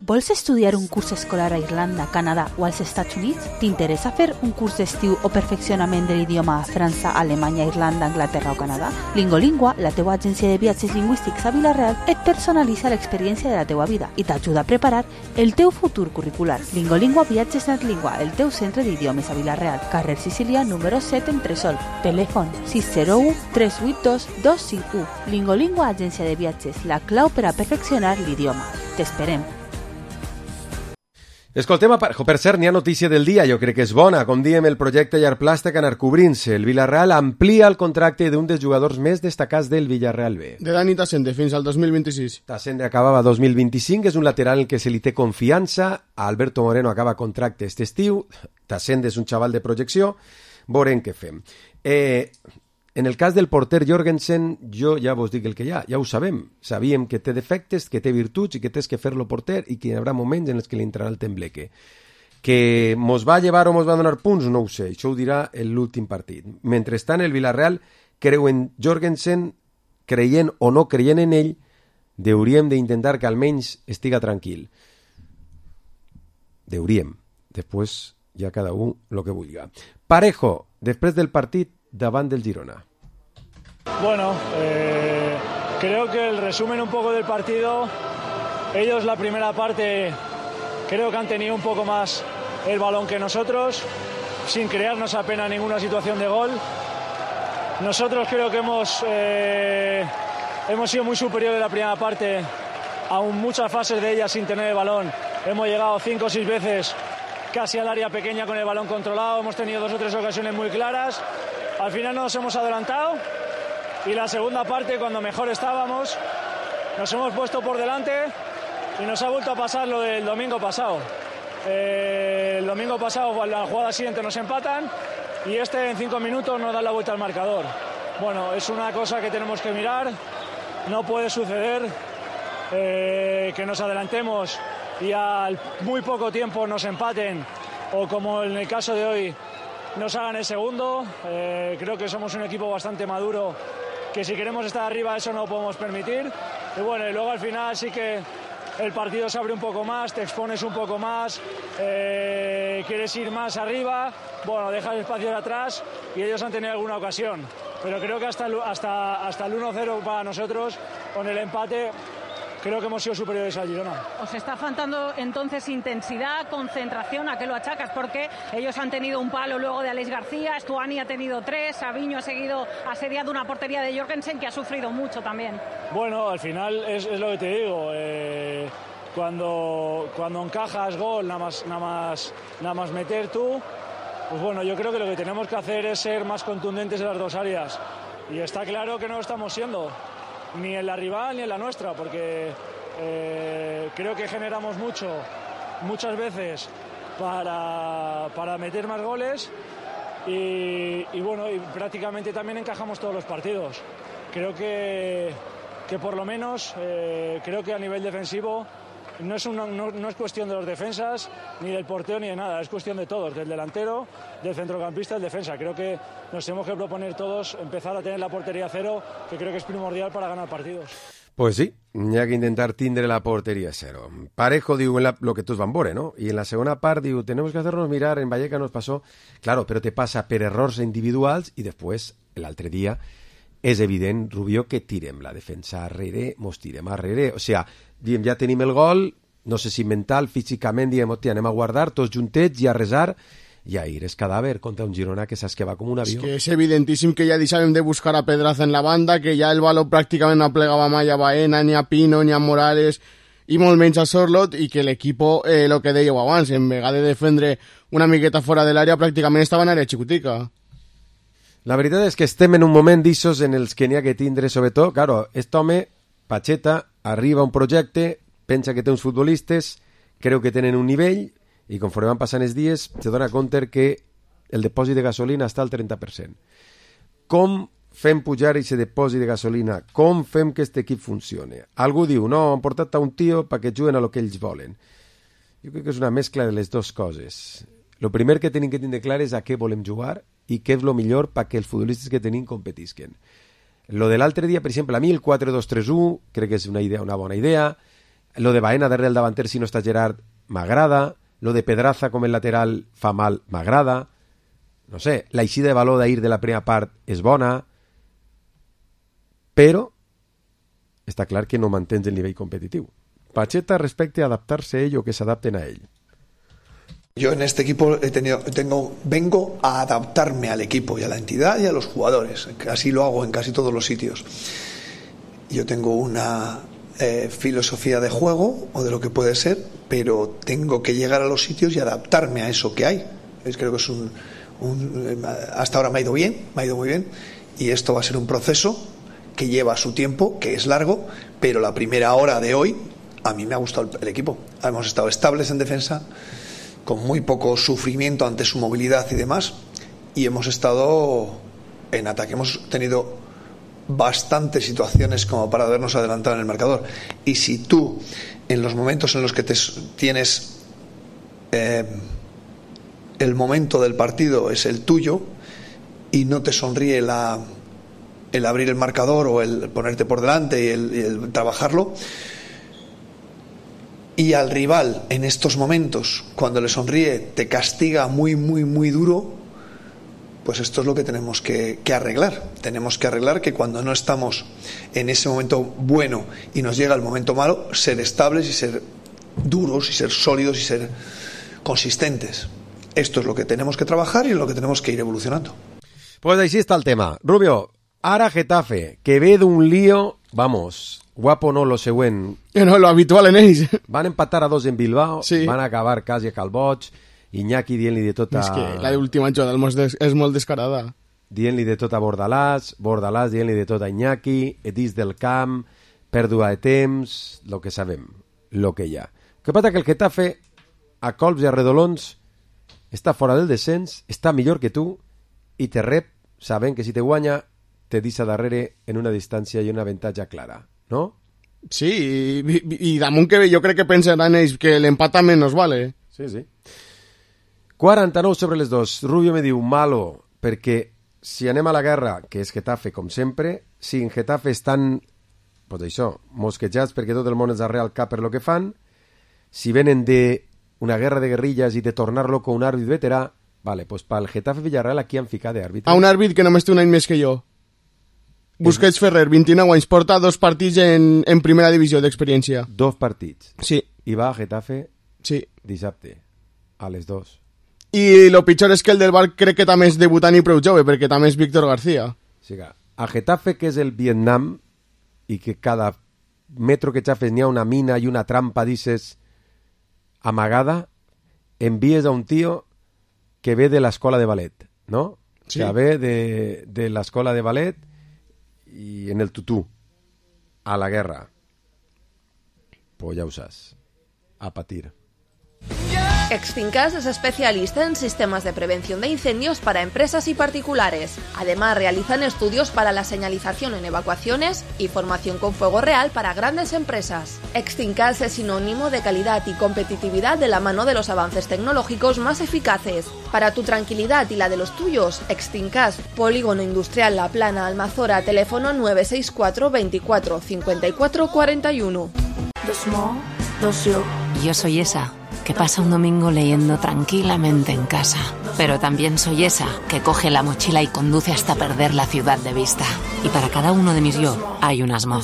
Vols estudiar un curs escolar a Irlanda, Canadà o als Estats Units? T'interessa fer un curs d'estiu o perfeccionament de l'idioma a França, Alemanya, Irlanda, Anglaterra o Canadà? Lingolingua, la teua agència de viatges lingüístics a Vilareal, et personalitza l'experiència de la teua vida i t'ajuda a preparar el teu futur curricular. Lingolingua Viatges Natlingua, el teu centre d'idiomes a Vilareal, carrer Sicília número 7 en Tresol, telèfon 601 382 251. Lingolingua Agència de Viatges, la clau per a perfeccionar l'idioma. T'esperem. Escoltem a Parejo. Per cert, n'hi ha notícia del dia, jo crec que és bona. Com diem, el projecte Llarplàstic anar cobrint-se. El Villarreal amplia el contracte d'un dels jugadors més destacats del Villarreal B. De Dani Tassende fins al 2026. Tassende acabava 2025, és un lateral en què se li té confiança. Alberto Moreno acaba contracte este estiu. Tassende és un xaval de projecció. Veurem què fem. En el cas del porter Jorgensen, jo ja vos dic el que hi ha, ja ho sabem. Sabíem que té defectes, que té virtuts i que tens que fer-lo porter i que hi haurà moments en els que li entrarà el tembleque. Que mos va llevar o mos va donar punts, no ho sé, això ho dirà l'últim partit. Mentrestant, el Villarreal creu en Jorgensen, creient o no creient en ell, hauríem d'intentar que almenys estiga tranquil. Hauríem. Després ja cada un el que vulgui. Parejo, després del partit, davant del Girona. Bueno, creo que el resumen un poco del partido, ellos la primera parte creo que han tenido un poco más el balón que nosotros, sin crearnos apenas ninguna situación de gol. Nosotros creo que hemos sido muy superiores en la primera parte, aún muchas fases de ella sin tener el balón. Hemos llegado 5 o 6 veces casi al área pequeña con el balón controlado, hemos tenido 2 o 3 ocasiones muy claras. Al final nos hemos adelantado y la segunda parte, cuando mejor estábamos, nos hemos puesto por delante y nos ha vuelto a pasar lo del domingo pasado. El domingo pasado, la jugada siguiente nos empatan y en 5 minutos nos dan la vuelta al marcador. Bueno, es una cosa que tenemos que mirar. No puede suceder que nos adelantemos y al muy poco tiempo nos empaten o, como en el caso de hoy, nos hagan el segundo. Creo que somos un equipo bastante maduro, que si queremos estar arriba eso no lo podemos permitir. Y bueno, y luego al final sí que el partido se abre un poco más, te expones un poco más, quieres ir más arriba, bueno, dejas espacios atrás y ellos han tenido alguna ocasión. Pero creo que hasta el 1-0 para nosotros, con el empate, creo que hemos sido superiores al Girona. ¿Os está faltando entonces intensidad, concentración? ¿A qué lo achacas? Porque ellos han tenido un palo luego de Alex García, Stuani ha tenido 3, Sabiño ha asediado una portería de Jorgensen que ha sufrido mucho también. Bueno, al final es lo que te digo. Cuando encajas gol, nada más meter tú, pues bueno, yo creo que lo que tenemos que hacer es ser más contundentes en las dos áreas. Y está claro que no lo estamos siendo, ni en la rival ni en la nuestra, porque creo que generamos muchas veces para meter más goles y bueno, y prácticamente también encajamos todos los partidos. Creo que por lo menos creo que a nivel defensivo no es cuestión de los defensas, ni del portero, ni de nada, es cuestión de todos, del delantero, del centrocampista, del defensa. Creo que nos tenemos que proponer todos empezar a tener la portería cero, que creo que es primordial para ganar partidos. Pues sí, hi ha que intentar tindre la portería cero. Parejo diu lo que tots van veure, ¿no? Y en la segunda part diu, tenemos que hacernos mirar, en Vallecas nos pasó, claro, pero te pasa per errors individuals y después, l'altre dia, és evident, Rubió, que tirem la defensa arrere, mos tirem arrere. O sea, diem, ja tenim el gol, no sé si mental, físicament, diem, hòstia, anem a guardar tots juntets i a resar, i a ir es cadàver contra un Girona que saps que va com un avió. És que és evidentíssim que ja deixàvem de buscar a Pedraza en la banda, que ja el baló pràcticament no plegava mai a Baena, ni a Pino, ni a Morales, i molt menys a Sorlot, i que l'equip, el que dèieu abans, en vegada de defendre una miqueta fora de l'àrea, pràcticament estava en àrea xicotica. La veritat és que estem en un moment d'issos en els que n'hi ha que tindre, sobretot, claro, aquest home, Pacheta, arriba a un projecte, pensa que té uns futbolistes, creu que tenen un nivell, i conforme van passant els dies, se dona compte que el depòsit de gasolina està al 30%. Com fem pujar aquest depòsit de gasolina? Com fem que aquest equip funcione? Algú diu, no, han portat a un tio perquè juguen a lo que ells volen. Jo crec que és una mescla de les dues coses. Lo primer que tenim que tindre clar és a què volem jugar i què és el millor perquè els futbolistes que tenim competisquen. Lo de l'altre dia, per exemple, a mi el 4-2-3-1 crec que és una bona idea. Lo de Baena darrere el davanter si no està Gerard m'agrada. Lo de Pedraza com el lateral fa mal m'agrada. No sé, l'eixida de valor d'ahir de la primera part és bona, però està clar que no mantens el nivell competitiu. Pacheta respecte a adaptarse a ell o que s'adapten a ell. Yo en este equipo vengo a adaptarme al equipo y a la entidad y a los jugadores. Así lo hago en casi todos los sitios. Yo tengo una filosofía de juego o de lo que puede ser, pero tengo que llegar a los sitios y adaptarme a eso que hay. Creo que es hasta ahora me ha ido muy bien, y esto va a ser un proceso que lleva su tiempo, que es largo, pero la primera hora de hoy a mí me ha gustado el equipo. Hemos estado estables en defensa, con muy poco sufrimiento ante su movilidad y demás, y hemos estado en ataque. Hemos tenido bastantes situaciones como para habernos adelantado en el marcador, y si tú en los momentos en los que tienes el momento del partido es el tuyo y no te sonríe el abrir el marcador o el ponerte por delante y el trabajarlo, y al rival en estos momentos cuando le sonríe te castiga muy muy muy duro, pues esto es lo que tenemos que arreglar. Tenemos que arreglar que cuando no estamos en ese momento bueno y nos llega el momento malo, ser estables y ser duros y ser sólidos y ser consistentes. Esto es lo que tenemos que trabajar y en lo que tenemos que ir evolucionando. Pues així està el tema. Rubio, ara Getafe, que ve d'un lío, vamos, guapo no lo següent. No, lo habitual en ells. Van empatar a 2 en Bilbao, sí. Van acabar quasi a Calboig, Iñaki dient-li de tot a... És que la última jugada és molt descarada. Dient-li de tot a Bordalàs dient-li de tot a Iñaki, dins del camp, pèrdua de temps, lo que sabem, lo que hi ha. El que passa que el Getafe, a colps i a redolons, està fora del descens, està millor que tu, i te rep sabent que si te guanya te deixa darrere en una distància i una avantatge clara, no? Sí, i damunt que jo crec que pensaran ells que l'empat també nos vale. Sí, sí. 49 sobre les 2. Rubio me diu malo, perquè si anem a la guerra, que és Getafe com sempre, si en Getafe estan, pues això, mosquejats perquè tot el món és arrere al cap per lo que fan, si venen de una guerra de guerrillas i de tornar-lo con un àrbit veterà, vale, pues pel Getafe Villarreal aquí han ficat d'àrbitre. A un àrbit que només té un any més que jo. Busquets Ferrer, 29 anys, porta 2 partits en primera divisió d'experiència. 2 partits. Sí. I va a Getafe sí. Dissabte, a les 2. I lo pitjor és que el del Bar crec que també és debutant i prou jove, perquè també és Víctor García. Sí, a Getafe, que és el Vietnam, i que cada metro que xafes n'hi ha una mina i una trampa, dices, amagada, envies a un tío que ve de l'escola de ballet, ¿no? Sí. Que ve de l'escola de ballet y en el tutú a la guerra. Pues ya usas a patir. Extinkas es especialista en sistemas de prevención de incendios para empresas y particulares. Además, realizan estudios para la señalización en evacuaciones y formación con fuego real para grandes empresas. Extinkas es sinónimo de calidad y competitividad de la mano de los avances tecnológicos más eficaces. Para tu tranquilidad y la de los tuyos, Extinkas, Polígono Industrial La Plana, Almazora, teléfono 964 24 54 41. Yo soy esa que pasa un domingo leyendo tranquilamente en casa. Pero también soy esa que coge la mochila y conduce hasta perder la ciudad de vista. Y para cada uno de mis yo hay un Asmo.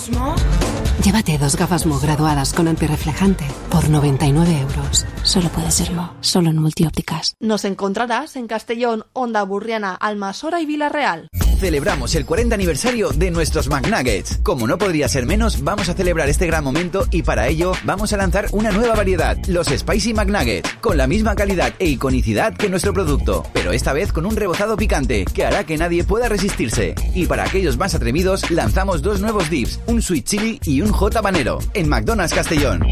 Llévate 2 gafas Mo graduadas con antirreflejante por 99 €. Solo puede ser Mo, solo en Multiópticas. Nos encontrarás en Castellón, Onda Burriana, Almasora y Villarreal. Celebramos el 40 aniversario de nuestros McNuggets. Como no podría ser menos, vamos a celebrar este gran momento y para ello vamos a lanzar una nueva variedad, los Spicy McNuggets, con la misma calidad e iconicidad que nuestro producto, pero esta vez con un rebozado picante que hará que nadie pueda resistirse. Y para aquellos más atrevidos, lanzamos 2 nuevos dips, un sweet chili y un hot habanero, en McDonald's Castellón.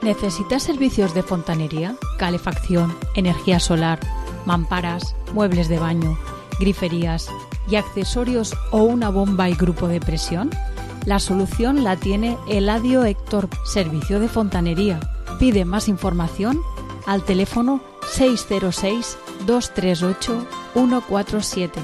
¿Necesitas servicios de fontanería, calefacción, energía solar, mamparas, muebles de baño, griferías y accesorios o una bomba y grupo de presión? La solución la tiene Eladio Héctor, servicio de fontanería. Pide más información al teléfono 606 238 147.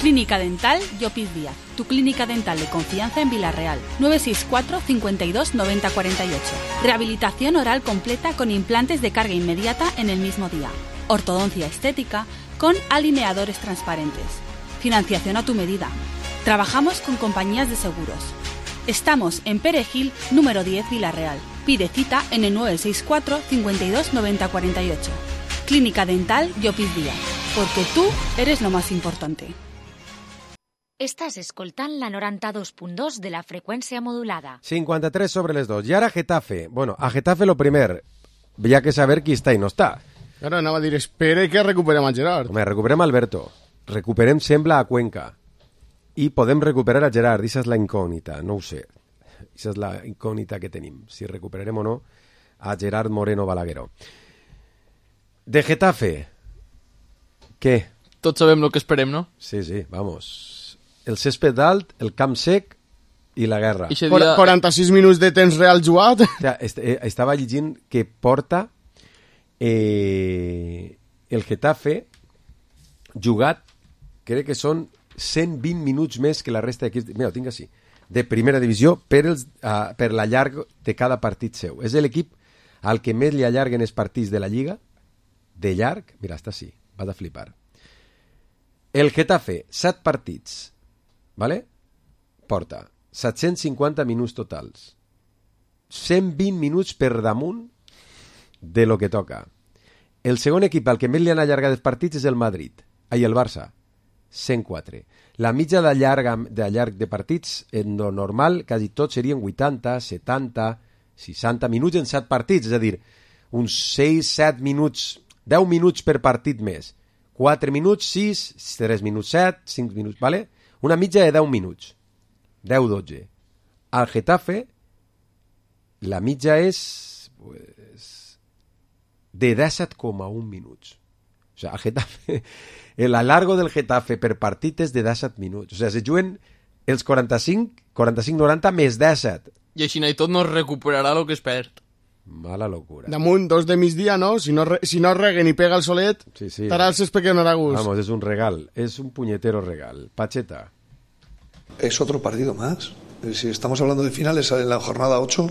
Clínica Dental Llopis Díaz, tu clínica dental de confianza en Villarreal. 964 52 90 48. Rehabilitación oral completa con implantes de carga inmediata en el mismo día. Ortodoncia estética con alineadores transparentes. Financiación a tu medida. Trabajamos con compañías de seguros. Estamos en Perejil, número 10, Villarreal. Pide cita en el 964 52 90 48. Clínica Dental Llopis Díaz, porque tú eres lo más importante. Estàs escoltant la 92.2 de la freqüència modulada. 53 sobre les 2. I ara Getafe. Bueno, a Getafe lo primer, ya que saber qui està i no està. Ara anava a dir, espera que recuperem a Gerard. Home, recuperem Alberto. Recuperem, sembla, a Cuenca. I podem recuperar a Gerard. Aquesta és la incògnita, no ho sé. Aquesta és la incògnita que tenim. Si recuperarem o no a Gerard Moreno Balagueró. De Getafe. Què? Tots sabem el que esperem, no? Sí, vamos. El césped alt, el camp sec i la guerra. 46 minuts de temps real jugat. Estava llegint que porta el Getafe jugat, crec que són 120 minuts més que la resta d'equips. Mira, ho tinc així. De primera divisió per l'allarg de cada partit seu. És l'equip al que més li allarguen els partits de la Lliga, de llarg. Mira, està així, vas a flipar. El Getafe, 7 partits, ¿vale? Porta 750 minuts totals. 120 minuts per damunt de lo que toca. El segon equip al que més li han allargat els partits és el Madrid. Ai, el Barça. 104. La mitja de llarg de partits, en lo normal, quasi tots serien 80, 70, 60 minuts en 7 partits. És a dir, uns 6, 7 minuts, 10 minuts per partit més. 4 minuts, 6, 3 minuts, 7, 5 minuts, ¿vale? Una mitja de 10 minuts. 10-12. Al Getafe, la mitja és pues, de 17,1 minuts. O sea, al Getafe, el alargo del Getafe per partit és de 17 minuts. O sea, se juguen els 45-90 més 17. I així i tot no es recuperarà el que es perd. Mala locura. Damunt, 2 de migdia, ¿no? Si no reguen i pega el solet, estarà el césped que no hará gust. Vamos, es un regal, es un puñetero regal. Pacheta. Es otro partido más. Si estamos hablando de finales, en la jornada 8,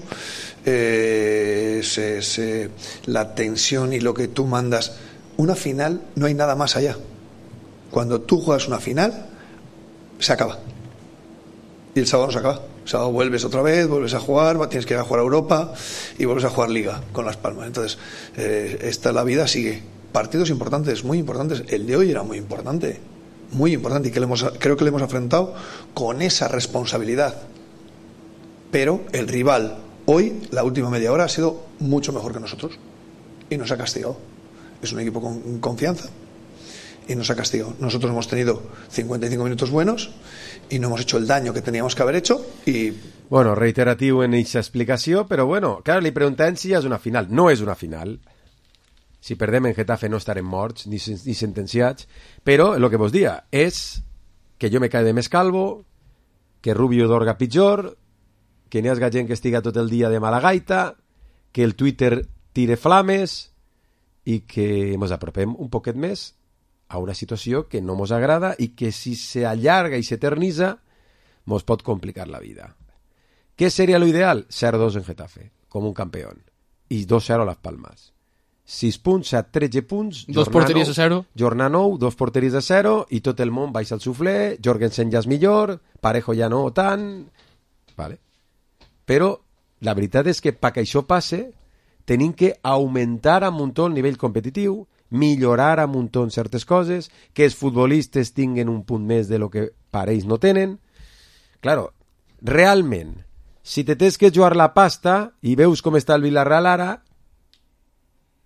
la tensión y lo que tú mandas. Una final, no hay nada más allá. Cuando tú juegas una final, se acaba. Y el sábado no se acaba. El sábado vuelves otra vez, vuelves a jugar, tienes que ir a jugar a Europa y vuelves a jugar Liga con Las Palmas. Entonces, la vida sigue. Partidos importantes, muy importantes. El de hoy era muy importante y creo que le hemos afrontado con esa responsabilidad. Pero el rival hoy, la última media hora, ha sido mucho mejor que nosotros y nos ha castigado. Es un equipo con confianza y nos ha castigado. Nosotros hemos tenido 55 minutos buenos y no hemos hecho el daño que teníamos que haber hecho y... Bueno, reiteratiu en aquesta explicació, però bueno, clar, li preguntem si ja és una final. No és una final. Si perdem en Getafe no estarem morts ni sentenciats, però el que vos dia és que jo me cae de més calvo, que Rubio dorga pitjor, que n'hi hagi gent que estiga tot el dia de mala gaita, que el Twitter tire flames i que ens apropem un poquet més a una situació que no ens agrada i que si s'allarga i s'eternitza ens pot complicar la vida. Què seria l'ideal? 0-2 en Getafe, com un campió. I 2-0 a Las Palmas. 6 punts, 13 punts... 2 porteries a 0. Jornada 9, 2 porteries a 0 i tot el món baixa al suflé, Jorgensen ja és millor, Parejo ja no tant... Vale. Però la veritat és que perquè això passe tenim que augmentar a muntó el nivell competitiu, millorar a muntó en certes coses, que els futbolistes tinguen un punt més de lo que per ells no tenen. Claro, realment, si te tens que jugar la pasta i veus com està el Villarreal ara,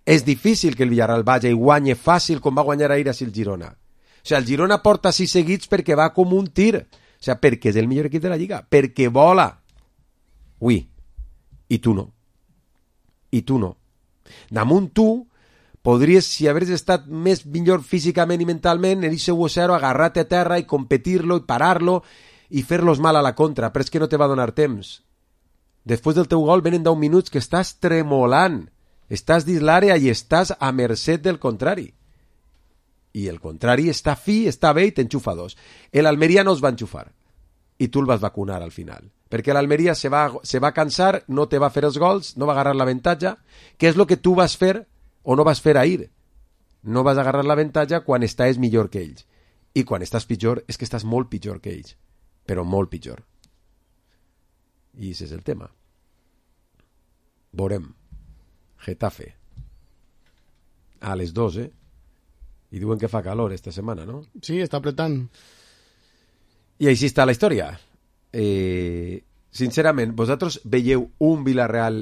és difícil que el Villarreal vagi i guanyi fàcil com va guanyar ahir a el Girona. O sigui, el Girona porta 6 seguits perquè va com un tir. O sigui, perquè és el millor equip de la Lliga. Perquè vola. Ui. I tu no. I tu no. Damunt tu podries, si hagués estat més millor físicament i mentalment, en ese 1-0 agarrar-te a terra i competir-lo i parar-lo i fer-los mal a la contra, però és que no te va donar temps. Després del teu gol venen 10 minuts que estàs tremolant, estàs dins l'àrea i estàs a mercè del contrari. I el contrari està fi, està bé i t'enxufa 2. L'Almeria no es va enxufar i tu el vas vacunar al final, perquè l'Almeria se va cansar, no te va fer els gols, no va agarrar l'avantatge, que és el que tu vas fer o no vas fer ahir. No vas agarrar l'avantatge quan estàs millor que ells. I quan estàs pitjor, és que estàs molt pitjor que ells. Però molt pitjor. I ese és el tema. Veurem. Getafe. A les 2, I diuen que fa calor esta setmana, no? Sí, està apretant. I així està la història. Sincerament, vosaltres veieu un Villarreal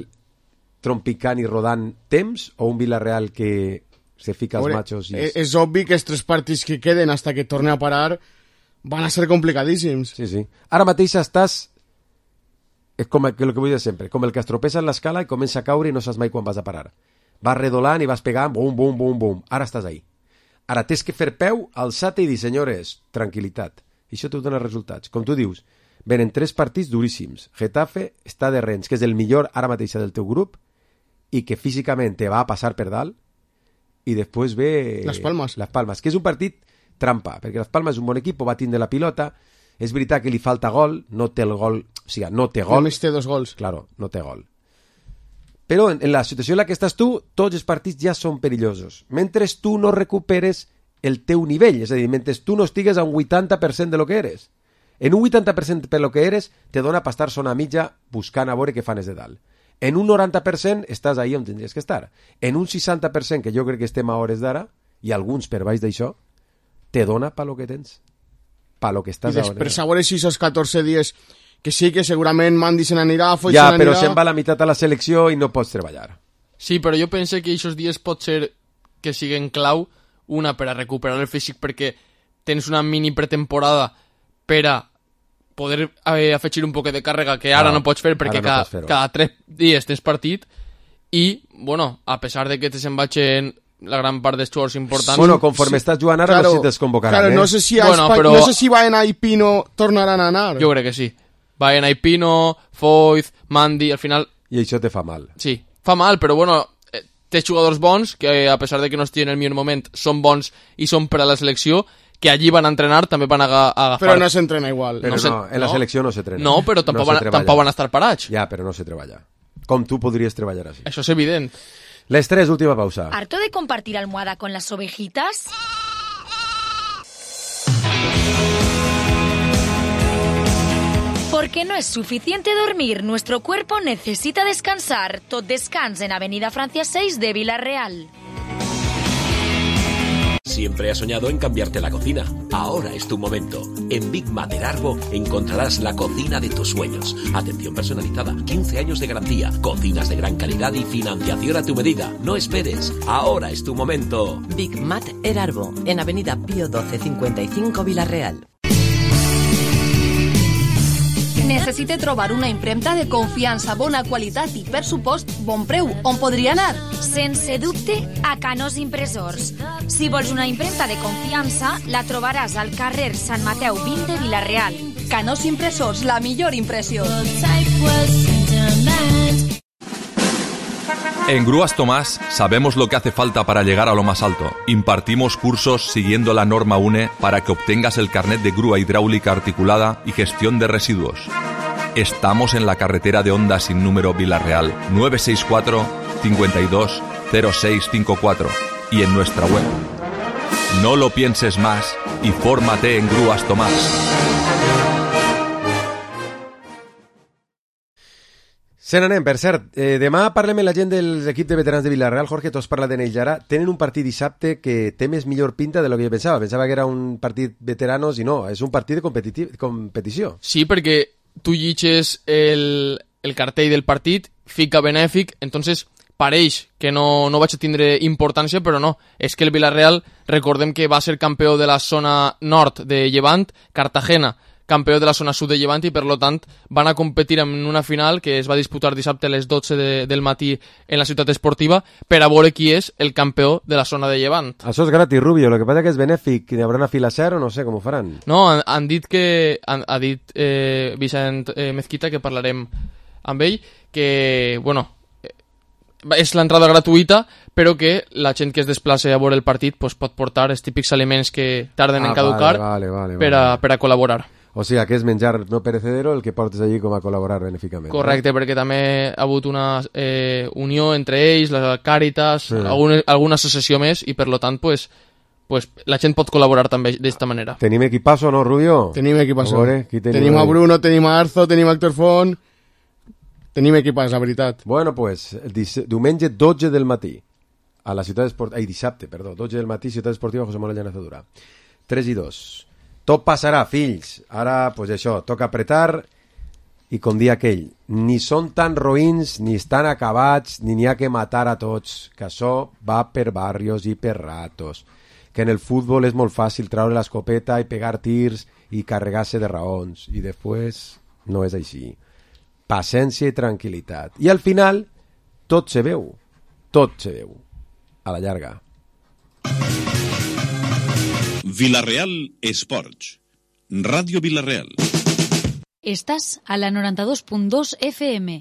trompicant i rodant temps o un Villarreal que se fica els machos? És obvi que els 3 partits que queden hasta que torni a parar van a ser complicadíssims. Sí. Ara mateix estàs... És com el que vull dir sempre, com el que es tropessa en l'escala i comença a caure i no saps mai quan vas a parar. Vas redolant i vas pegant, bum, bum, bum, bum. Ara estàs ahí. Ara tens que fer peu, alçar-te i dir, senyores, tranquil·litat. I això te dona resultats. Com tu dius, venen 3 partits duríssims. Getafe està de Rennes, que és el millor ara mateix del teu grup i que físicament te va a passar per dalt, i després ve... Las Palmas, que és un partit trampa, perquè Las Palmas és un bon equip, va tindre la pilota, és veritat que li falta gol, no té el gol, o sigui, no té gol. Només té 2 gols. Claro, no té gol. Però en la situació en la que estàs tu, tots els partits ja són perillosos. Mentre tu no recuperes el teu nivell, és a dir, mentre tu no estigues a un 80% de lo que eres. En un 80% per lo que eres, te dona per estar zona mitja buscant a veure què fan des de dalt. En un 90% estàs ahí on tindries que estar. En un 60%, que jo crec que estem a hores d'ara, i alguns per baix d'això, te dona pa lo que tens. Pa lo que estàs I després a veure si esos 14 dies que sí que segurament Mandy se n'anirà, Foy ja, se n'anirà... però se'n va la meitat a la selecció i no pots treballar. Sí, però jo penso que aquests dies pot ser que siguen clau, una per a recuperar el físic perquè tens una mini pretemporada per a poder afegir un poc de càrrega que ara no pots fer perquè cada 3 dies tens partit i, bueno, a pesar de que te se'n vagin la gran part dels jugadors importants... Bueno, conforme estàs jugant ara, no sé si desconvocaran. Claro, no sé si Baena i Pino tornaran a anar. Jo crec que sí. Baena i Pino, Foyth, Mandy, al final... I això te fa mal. Sí, fa mal, però bueno, té jugadors bons que a pesar de que no estiguin en el millor moment són bons i són per a la selecció, que allí van a entrenar, també van a agafar... Però no s'entrena igual. Però no, en la selecció no s'entrena. No, però tampoc van a estar parats. Ja, però no se treballa. Com tu podries treballar així. Això és evident. Les 3, última pausa. ¿Harto de compartir almohada con las ovejitas? Porque no es suficiente dormir, nuestro cuerpo necesita descansar. Tot descans en Avenida Francia 6 de Villarreal. Siempre has soñado en cambiarte la cocina. Ahora es tu momento. En Big Mater Arbo encontrarás la cocina de tus sueños. Atención personalizada, 15 años de garantía, cocinas de gran calidad y financiación a tu medida. No esperes. Ahora es tu momento. Big Mater Arbo, en Avenida Pío 12 55 Villarreal. Necessite trobar una impremta de confiança, bona qualitat i, per supost, bon preu. On podria anar? Sense dubte, a Canós Impressors. Si vols una impremta de confiança, la trobaràs al carrer Sant Mateu 20 de Villarreal. Canós Impressors, la millor impressió. En Grúas Tomás sabemos lo que hace falta para llegar a lo más alto. Impartimos cursos siguiendo la norma UNE para que obtengas el carnet de grúa hidráulica articulada y gestión de residuos. Estamos en la carretera de Honda sin número Villarreal 964 52 0654 y en nuestra web. No lo pienses más y fórmate en Grúas Tomás. Se n'anem, per cert, demà parlem amb la gent dels equips de veterans de Villarreal. Jorge, tu has parlat d'ells ara. Tenen un partit dissabte que té més millor pinta de lo que jo pensava. Pensava que era un partit veteranos i no, és un partit de competició. Sí, perquè tu llitges el cartell del partit, fica benèfic, entonces pareix que no vaig a tindre importància, però no. És que el Villarreal, recordem que va ser campió de la zona nord de Llevant, Cartagena, campió de la zona sud de Llevant, i per lo tant van a competir en una final que es va disputar dissabte a les 12 del matí en la ciutat esportiva per a veure qui és el campió de la zona de Llevant. Això és gratis, Rubio, lo que passa que és benèfic, hi haurà una fila zero, no sé com ho faran. No, han dit que ha dit Vicent Mezquita, que parlarem amb ell, que, bueno, és l'entrada gratuïta, però que la gent que es desplaça a veure el partit pues, pot portar els típics aliments que tarden en caducar per a col·laborar. O sigui, que és menjar no perecedero el que portes allí com a col·laborar benèficament. Correcte, perquè també ha hagut una unió entre ells, la Càritas, alguna associació més, i per lo tant, pues, la gent pot col·laborar també d'esta manera. Tenim equipasso, no, Rubio? Tenim equipasso. Tenim a Bruno, tenim a Arzo, tenim a Héctor Font. Tenim equipàs, la veritat. Bueno, pues, diumenge 12 del matí, a la ciutat esportiva... Ai, dissabte, perdó, 12 del matí, ciutat esportiva José Manuel Llanazadura. 3 i 2. Tot passarà, fills. Ara, pues això, toca apretar i com dia aquell, ni són tan roïns, ni estan acabats, ni n'hi ha que matar a tots, que això va per barrios i per ratos, que en el futbol és molt fàcil treure l'escopeta i pegar tirs i carregar-se de raons, i després no és així. Paciència i tranquil·litat. I al final, tot se veu. Tot se veu. A la llarga. Vilareal Esports. Ràdio Vilareal. Estàs a la 92.2 FM.